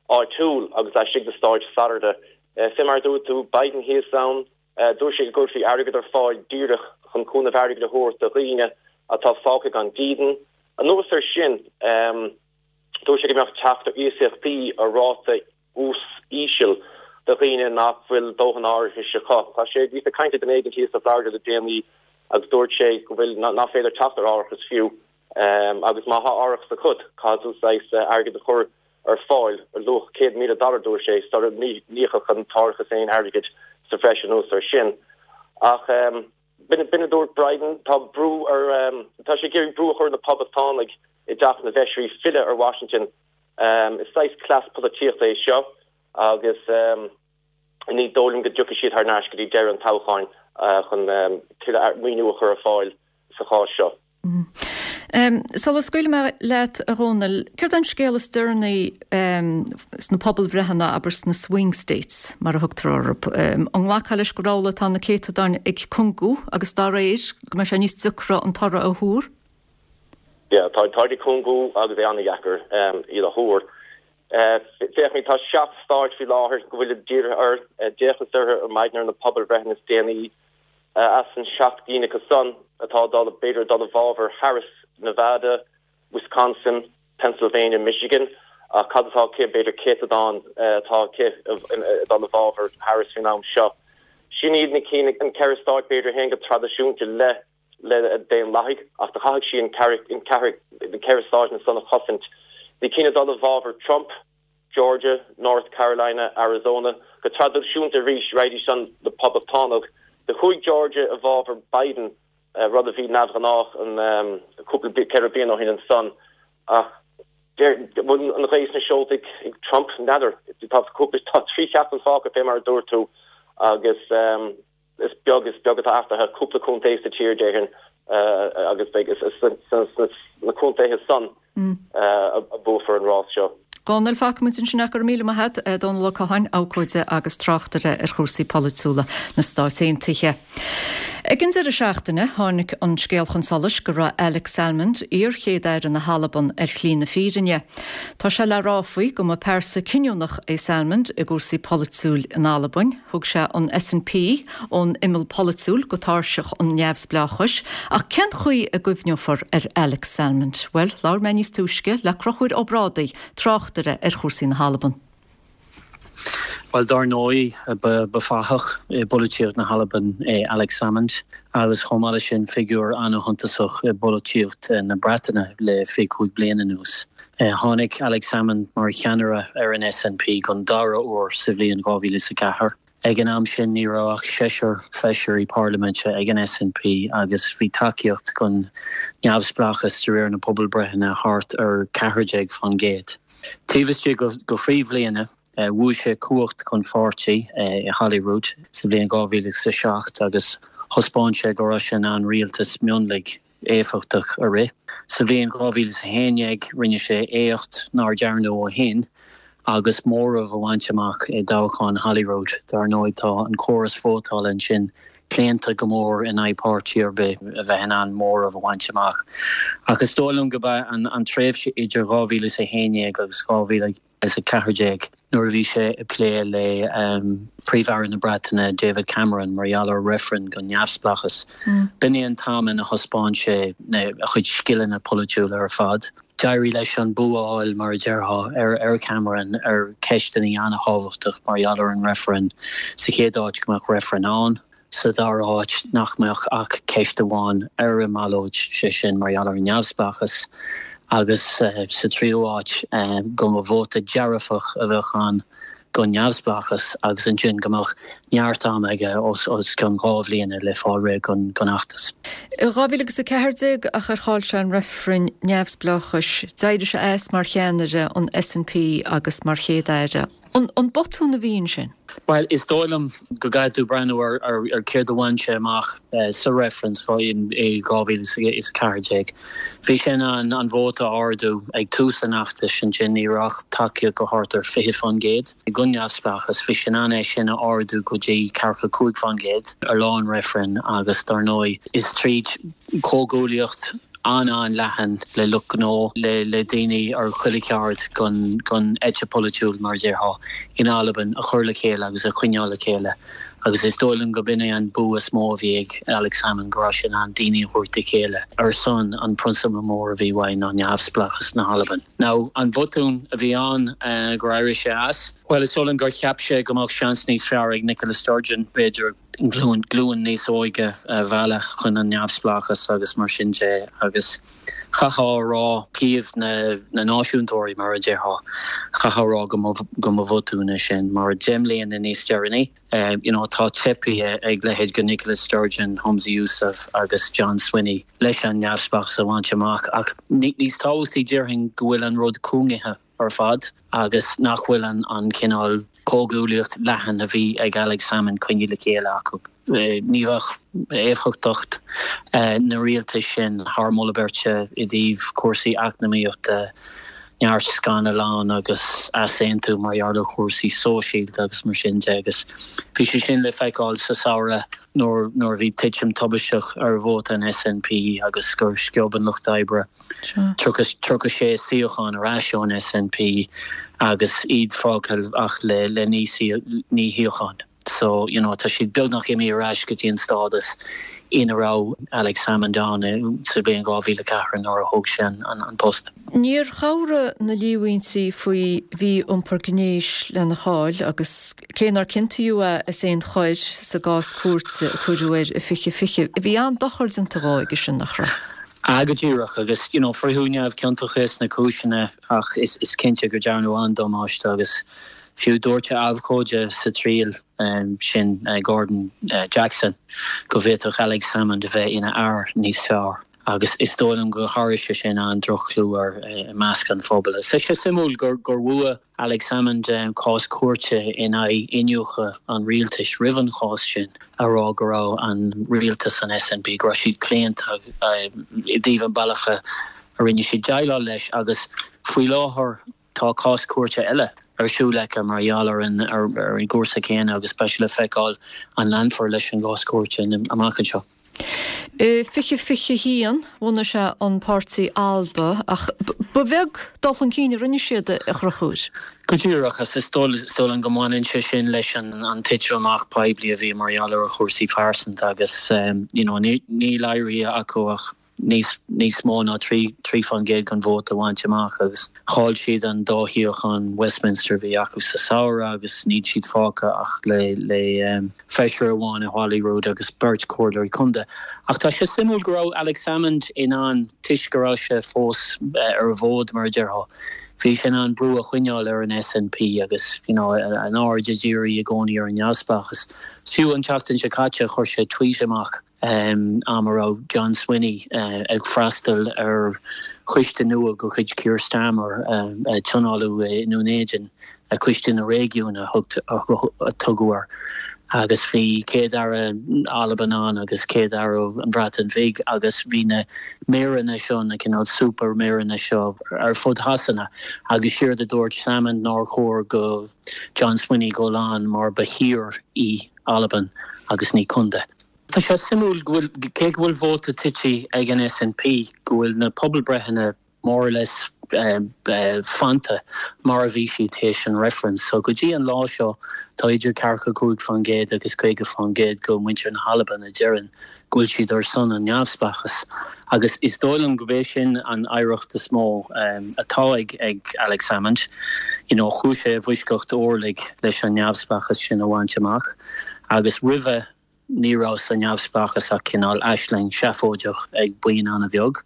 [SPEAKER 17] áitiúil agus laistigh de stáit Florida. Fé mar a dúirt tú, Biden thíos ann, Dúirt sé go gcuirfí airgead ar fáil díreach chun cúnamh airgid a thabhairt do dhaoine atá fágtha gan dídean. Anuas air sin, dúirt sé go mbeadh teacht ar iasachtaí ar ráta úis íseal do dhaoine nach bhfuil dóthain árachais acu. Tá sé thíos ag caint le duine éigin thíos i Florida le déanaí agus dúirt sé go bhfuil nach féidir teacht ar árachas fiú agus má thá árachas agat, caithfidh tú saghas airgead a chur ar fáil ar luach céad míle dollar, dúirt sé, sula n-íocfadh an t-árachas aon airgead sa bhreis anuas air sin. Ach b'in a dúirt Biden, tá brú ar, tá sé ag iarraidh brú a chur ar na Poblachtánaigh i dTeach na bhFeisirí filleadh ar Washington. Is saghas cleas polaitíochta é seo agus ní dóigh liom go dtiocfaidh siad thar n-ais go dtí deireadh an toghcháin chun tuilleadh maoiniú a chur ar fáil sa chás seo.
[SPEAKER 1] Sula scaoilfidh mé leat, a Dhónaill, céard é an scéal is deireanaí sna pobalbhreitheanna, abair sna swing states, mar a thugtar orthu? An nglacfá leis gur amhlaidh atá na céatadáin ag cúngú agus dá réir go mbeidh sé níos deacra an toradh a thuar?
[SPEAKER 17] Yeah, tá, táid ag cúngú agus é an-dheacair iad a thuar. Féach, tá seacht stáit faoi láthair go bhfuilid dírithe air, d'fhéachas orthu ar maidin ar na pobalbhreitheanna is déanaí. As an seacht gcinn acu san atá ag dul, b'fhéidir, ag dul i bhfabhar Harris, Nevada, Wisconsin, Pennsylvania, Michigan, ach cad atá aici, b'fhéidir céatadán atá aici ag dul i bhfabhar Harris faoin am seo. Sin iad na cinn, an ceithre stáit, b'fhéidir, a théann go traidisiúnta le le Daonlathaigh ach do chaithfeadh sí an ceathair na ceithre stáit san a chosaint. Bhí cinn ag dul i bhfabhar Trump, Georgia, North Carolina, Arizona, go traidisiúnta arís raghaidís san le Poblachtánaigh. Do chuaigh Georgia i bhfabhar Biden, rud a bhí neamhghnách an cúpla ceithre bliana ó shin ansan ach an bhfuil an ghaoth sna seolta ag Trump? N'fheadar. Tá cúpla, tá trí sheachtain fágtha fé mar a dúirt tú agus is beag is beag atá athraithe, cúpla contae sa tír déarfainn agus beidh sna na contaetha san a buafar an rás seo.
[SPEAKER 1] Dónal, fágfaidh muid ansin é, go raibh míle maith agat, Dónal Ó Catháin, abhcóide agus tráchtaire ar chúrsaí polaitiúla na Stát Aontaithe. Ag an deireadh seachtaine, tháinig an scéal chun solais go raibh Alex Salmond, iar-Chéad-Aire na hAlban, ar shlí na fírinne. Tá sé le rá faoi go mba pearsa cinniúnach é Salmond i gcúrsaí polaitiúil in Albain. Thug sé an SNP ón imeall polaitiúil go tairseach an neamhspleáchais. Ach cén chaoi a gcuimhneofar ar Alex Salmond? Bhuel, labhair mé níos túisce le Conchúr Ó Brádaigh, tráchtaire ar chúrsaí na hAlban.
[SPEAKER 18] Bhuel, dar ndóigh, ba fathach i bpolaitíocht na hAlban é Alex Salmond agus chomh maith leis sin figiúr an-shuntasach i bpolaitíocht na Breataine le fiche cúig bliain anuas. Tháinig Alex Salmond mar cheannaire ar an SNP don dara huair sa bhliain dhá mhíle is a ceathair. Ag an am sin ní raibh ach seisear feisirí parlaiminte ag an SNP agus bhí tacaíocht don neamhspleáchas de réir na pobalbreitheanna thart ar ceathair déag faoin gcéad. Taobh istigh de thrí bhliana, bhuaigh sé cumhacht don pháirtí i Holyrood sa bhliain dhá mhíle is a seacht agus thaispeáin sé go raibh sé in ann rialtas mionlaigh éifeachtach a rith. Sa bhliain dhá mhíle is a haon déag rinne sé éacht nár dearnadh ó shin agus móramh a bhaint amach i dtoghchán Holyrood. Dar ndóigh tá an córas vótála ansin claonta go mór in aghaidh páirtí ar bith a bheith in ann móramh a bhaint amach. Ach is dóigh liom go b'é an tréimhse idir dhá mhíle is a haon déag agus dhá mhíle is a ceathair déag nuair a bhí sé ag plé le Príomh-Aire na Breataine David Cameron mar gheall ar reifreann don neamhspleáchas. B'in é an t-am ina thaispeáin sé a chuid scileanna polaitiúla ar fad. D'éirigh leis an bua a fháil, mar a déarfá, ar Cameron ar cheisteanna an-thábhachtach mar gheall ar an reifreann. Sa chéad áit go mbeadh reifreann ann. Sa dara háit nach mbeadh ach ceist amháin ar an mballóid, sé sin mar gheall ar an neamhspleáchas, agus sa tríú háit go mba vóta dearfach a bheadh ann don neamhspleáchas agus ansin go mbeadh neart ama aige os cionn dhá bhliana le fáil réidh don fheachtas.
[SPEAKER 1] I dhá mhíle agus a ceathair déag ach ar chaill sé an reifreann neamhspleáchais, d'éirigh sé as mar cheannaire an SNP agus mar Chéad-Aire. An botún a bhí ansin?
[SPEAKER 18] Bhuel, is dóigh liom go gcaithfidh tú breathnú ar ar céard a bhain sé amach sa reifreann i dhá mhíle is a ceathair déag. Bhí sé in ann an vóta a ardú ag tús an fheachtais, ansin ní raibh ach tacaíocht go thart ar fiche faoin gcéad don neamhspleáchas. Bhí sé in ann é sin a ardú go dtí ceathracha cúig faoin gcéad ar lá an reifrinn agus dar ndóigh is tríd comhghuaillíocht an-an-leathan le lucht gnó, le le daoine ar chuile cheard den den eite pholaitiúil, mar a déarfá, in Albain a chur le chéile agus a choinneáil le chéile. Agus is dóigh liom go b'in é an bua is mó a bhí ag Alex Salmond, go raibh sé in ann daoine a thabhairt le chéile ar son an prionsabal mór a bhí uaidh ná neamhspleáchas na hAlban. Now, an botún a bhí ann gur éirigh sé as? Bhuel, is dóigh liom gur cheap sé go mbeadh seans níos fearr ag Nicola Sturgeon, b'fhéidir, glúin glúin níos óige a mhealladh chun an neamhspleáchas agus mar sin de agus chaithfeá a rá taobh na na náisiúntóirí mar a déarfá, chaithfeá a rá go mba go mba bhotún é sin mar deich mbliana níos deireanaí you know tá teipthe ag leithéid de Nicola Sturgeon, Humza Yousaf agus John Swinney leis an neamhspleáchas a bhaint amach ach níos tábhachtaí déarfainn go bhfuil an rud cúngaithe. ar fad agus nach bhfuil an cineál comhghuaillíocht leathan a bhí ag Alex Salmond coinnithe le chéile acu. Ní bheadh éifeachtacht na rialtais sin thar moladh beirte i dtaobh cúrsaí eacnamaíochta, neart scannal ann agus easaontú mar gheall ar chúrsaí sóisialta agus mar sin de agus bhí sé sin le feiceáil sa samhradh nuair nuair a bhí titim tubaisteach ar vóta an SNP agus gur sciob an Lucht Oibre tríocha sé suíochán ar ais ón SNP agus iad fágtha ach le le naoi shuíochán. So you know, tá siad beagnach imithe ar ais go dtí an stádas ina raibh Alex Salmond ann sa bhliain dhá mhíle a ceathair nuair a thóg sé an post.
[SPEAKER 1] Níor chabhraigh na líomhaintí faoi mhí-iompar gnéis lena cháil agus cé nár ciontaíodh é as aon choir sa gcás cúirte a cuireadh air i fiche fiche, bhí an-dochar déanta dhó aige sin, nach raibh?
[SPEAKER 18] Ah go díreach agus you know, fritheadh neamhchiontach é sna cúiseanna ach is, is cinnte gur dearnadh an-damáiste agus fiú dúirt a abhcóide sa triail sin Gordon Jackson go bhféadfadh Alex Salmond a bheith ina fhear níos fearr agus is dóigh liom gur tharraing sé sin an-droch-chlú air i measc an phobail. Tá sé suimiúil gur gur bhuaigh Alex Salmond cás cúirte in aghaidh iniúchadh an rialtais roimh an chás sin a rá go raibh an rialtas an S N P go raibh siad claonta i dtaobh an bealach a rinne siad déileáil leis agus faoi láthair tá cás cúirte eile ar siúl aici mar gheall ar an ar an gcúrsa céanna agus beidh sé le feiceáil an leanfar leis an gcás cúirte amach anseo.
[SPEAKER 1] I fiche fiche haon bhunaigh sé an páirtí Alba ach ba bheag dul chun cinn a rinne siad a Chonchúir.
[SPEAKER 18] Go díreach agus is dóigh liom go mbaineann sé sin leis an an titim amach poiblí a bhí mar gheall ar a chúrsaí pearsanta agus you know, níl éirithe acu ach níos níos mó ná trí trí faoin gcéad den vóta a bhaint amach agus chaill siad an dá shuíochán Westminster a bhí acu sa samhradh agus níl siad fágtha ach le le um, feisire amháin i Holyrood agus beirt comhairleoirí contae. Ach tá sé suimiúil go raibh Alex Salmond in ann toisc go raibh sé fós uh, ar an bhfód mar a déarfá. Bhí sé in ann brú a choinneáil ar an S N P agus you know, an aird a dhíriú i gcónaí ar an neamhspleáchas. Fiú an tseachtain seo caite chuir sé tweet amach um, am a raibh John Swinney uh, ag freastal ar choiste nua de chuid Keir Starmer uh, uh, tionóladh i nDún Éideann a coiste na réigiún a tugadh air. Agus bhí Céad-Aire Alban ann agus Céad-Aire an Bhreatain Bheag agus bhí na méireanna seo na cineál super méireanna seo ar fud Shasana agus séard a dúirt Salmond nár chóir do John Swinney dul ann mar ba thír í Albain agus ní contae. Tá sé suimiúil cé go bhfuil vóta tite ag an S N P go bhfuil na pobalbreitheanna more or less uh, uh, fanta mar a bhí siad théis an reference. So go dtí an lá seo tá idir ceathracha cúig faoin gcéad agus caoga faoin gcéad de mhuintir na hAlban a deireann go bhfuil siad ar son an neamhspleáchas. Agus is dóigh liom go b'é sin an oidhreacht is mó um, atá ag ag Alex Salmond. You know, chuaigh sé i bhfoisceacht orlaigh leis an neamhspleáchas sin a bhaint amach. Agus roimhe ní raibh sa neamhspleáchas ach cineál aisling seafóideach ag buíon an-bheag.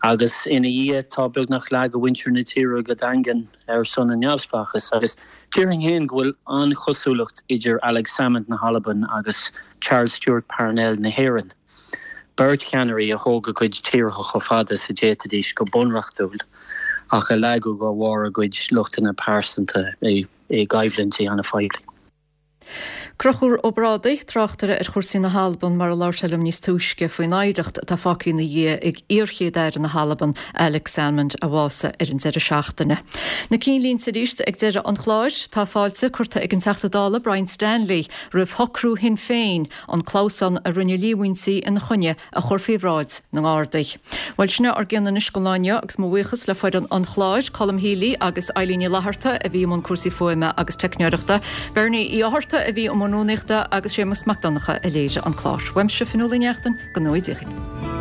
[SPEAKER 18] Agus ina dhiaidh tá beagnach leath de mhuintir na tíre go daingean ar son an neamhspleáchas agus déarfainn féin go bhfuil an-chosúlacht idir Alex Salmond na hAlban agus Charles Stewart Parnell na hÉireann. Beirt cheannairí a thóg a gcuid tíortha chomh fada is a d'fhéadfaidís go bunreachtúil ach a leagadh de bharr a gcuid lochtanna pearsanta i i gcoimhlintí an-phoiblí.
[SPEAKER 1] Conchúr Ó Brádaigh, tráchtaire ar chúrsaí na hAlban mar a labhair sé liom níos túisce faoin oidhreacht atá fágtha ina dhiaidh ag iar-Chéad-Aire na hAlban Alex Salmond a bhásaigh ar an deireadh seachtaine. Na cinnlínte arís ag deireadh an chláir tá fáilte curtha ag an Teachta Dála Brian Stanley roimh shocrú Shinn Féin an clamhsán a rinne líomhaintí ina choinne a chur faoi bhráid na nGardaí. Bhuel sin ár gcionn anois don lá inniu agus mo bhuíochas le foireann an chláir, Colm Healy agus Eileen Ní Fhlatharta a bhí i mbun cúrsaí fuaime agus teicneoireachta. Bernie Uí Fhátharta a bhí i mbun rúnaíochta agus Séamus Mac Donncha a léirigh an clár. Uaimse Fionnuala Ní Neachtain go n-éirí.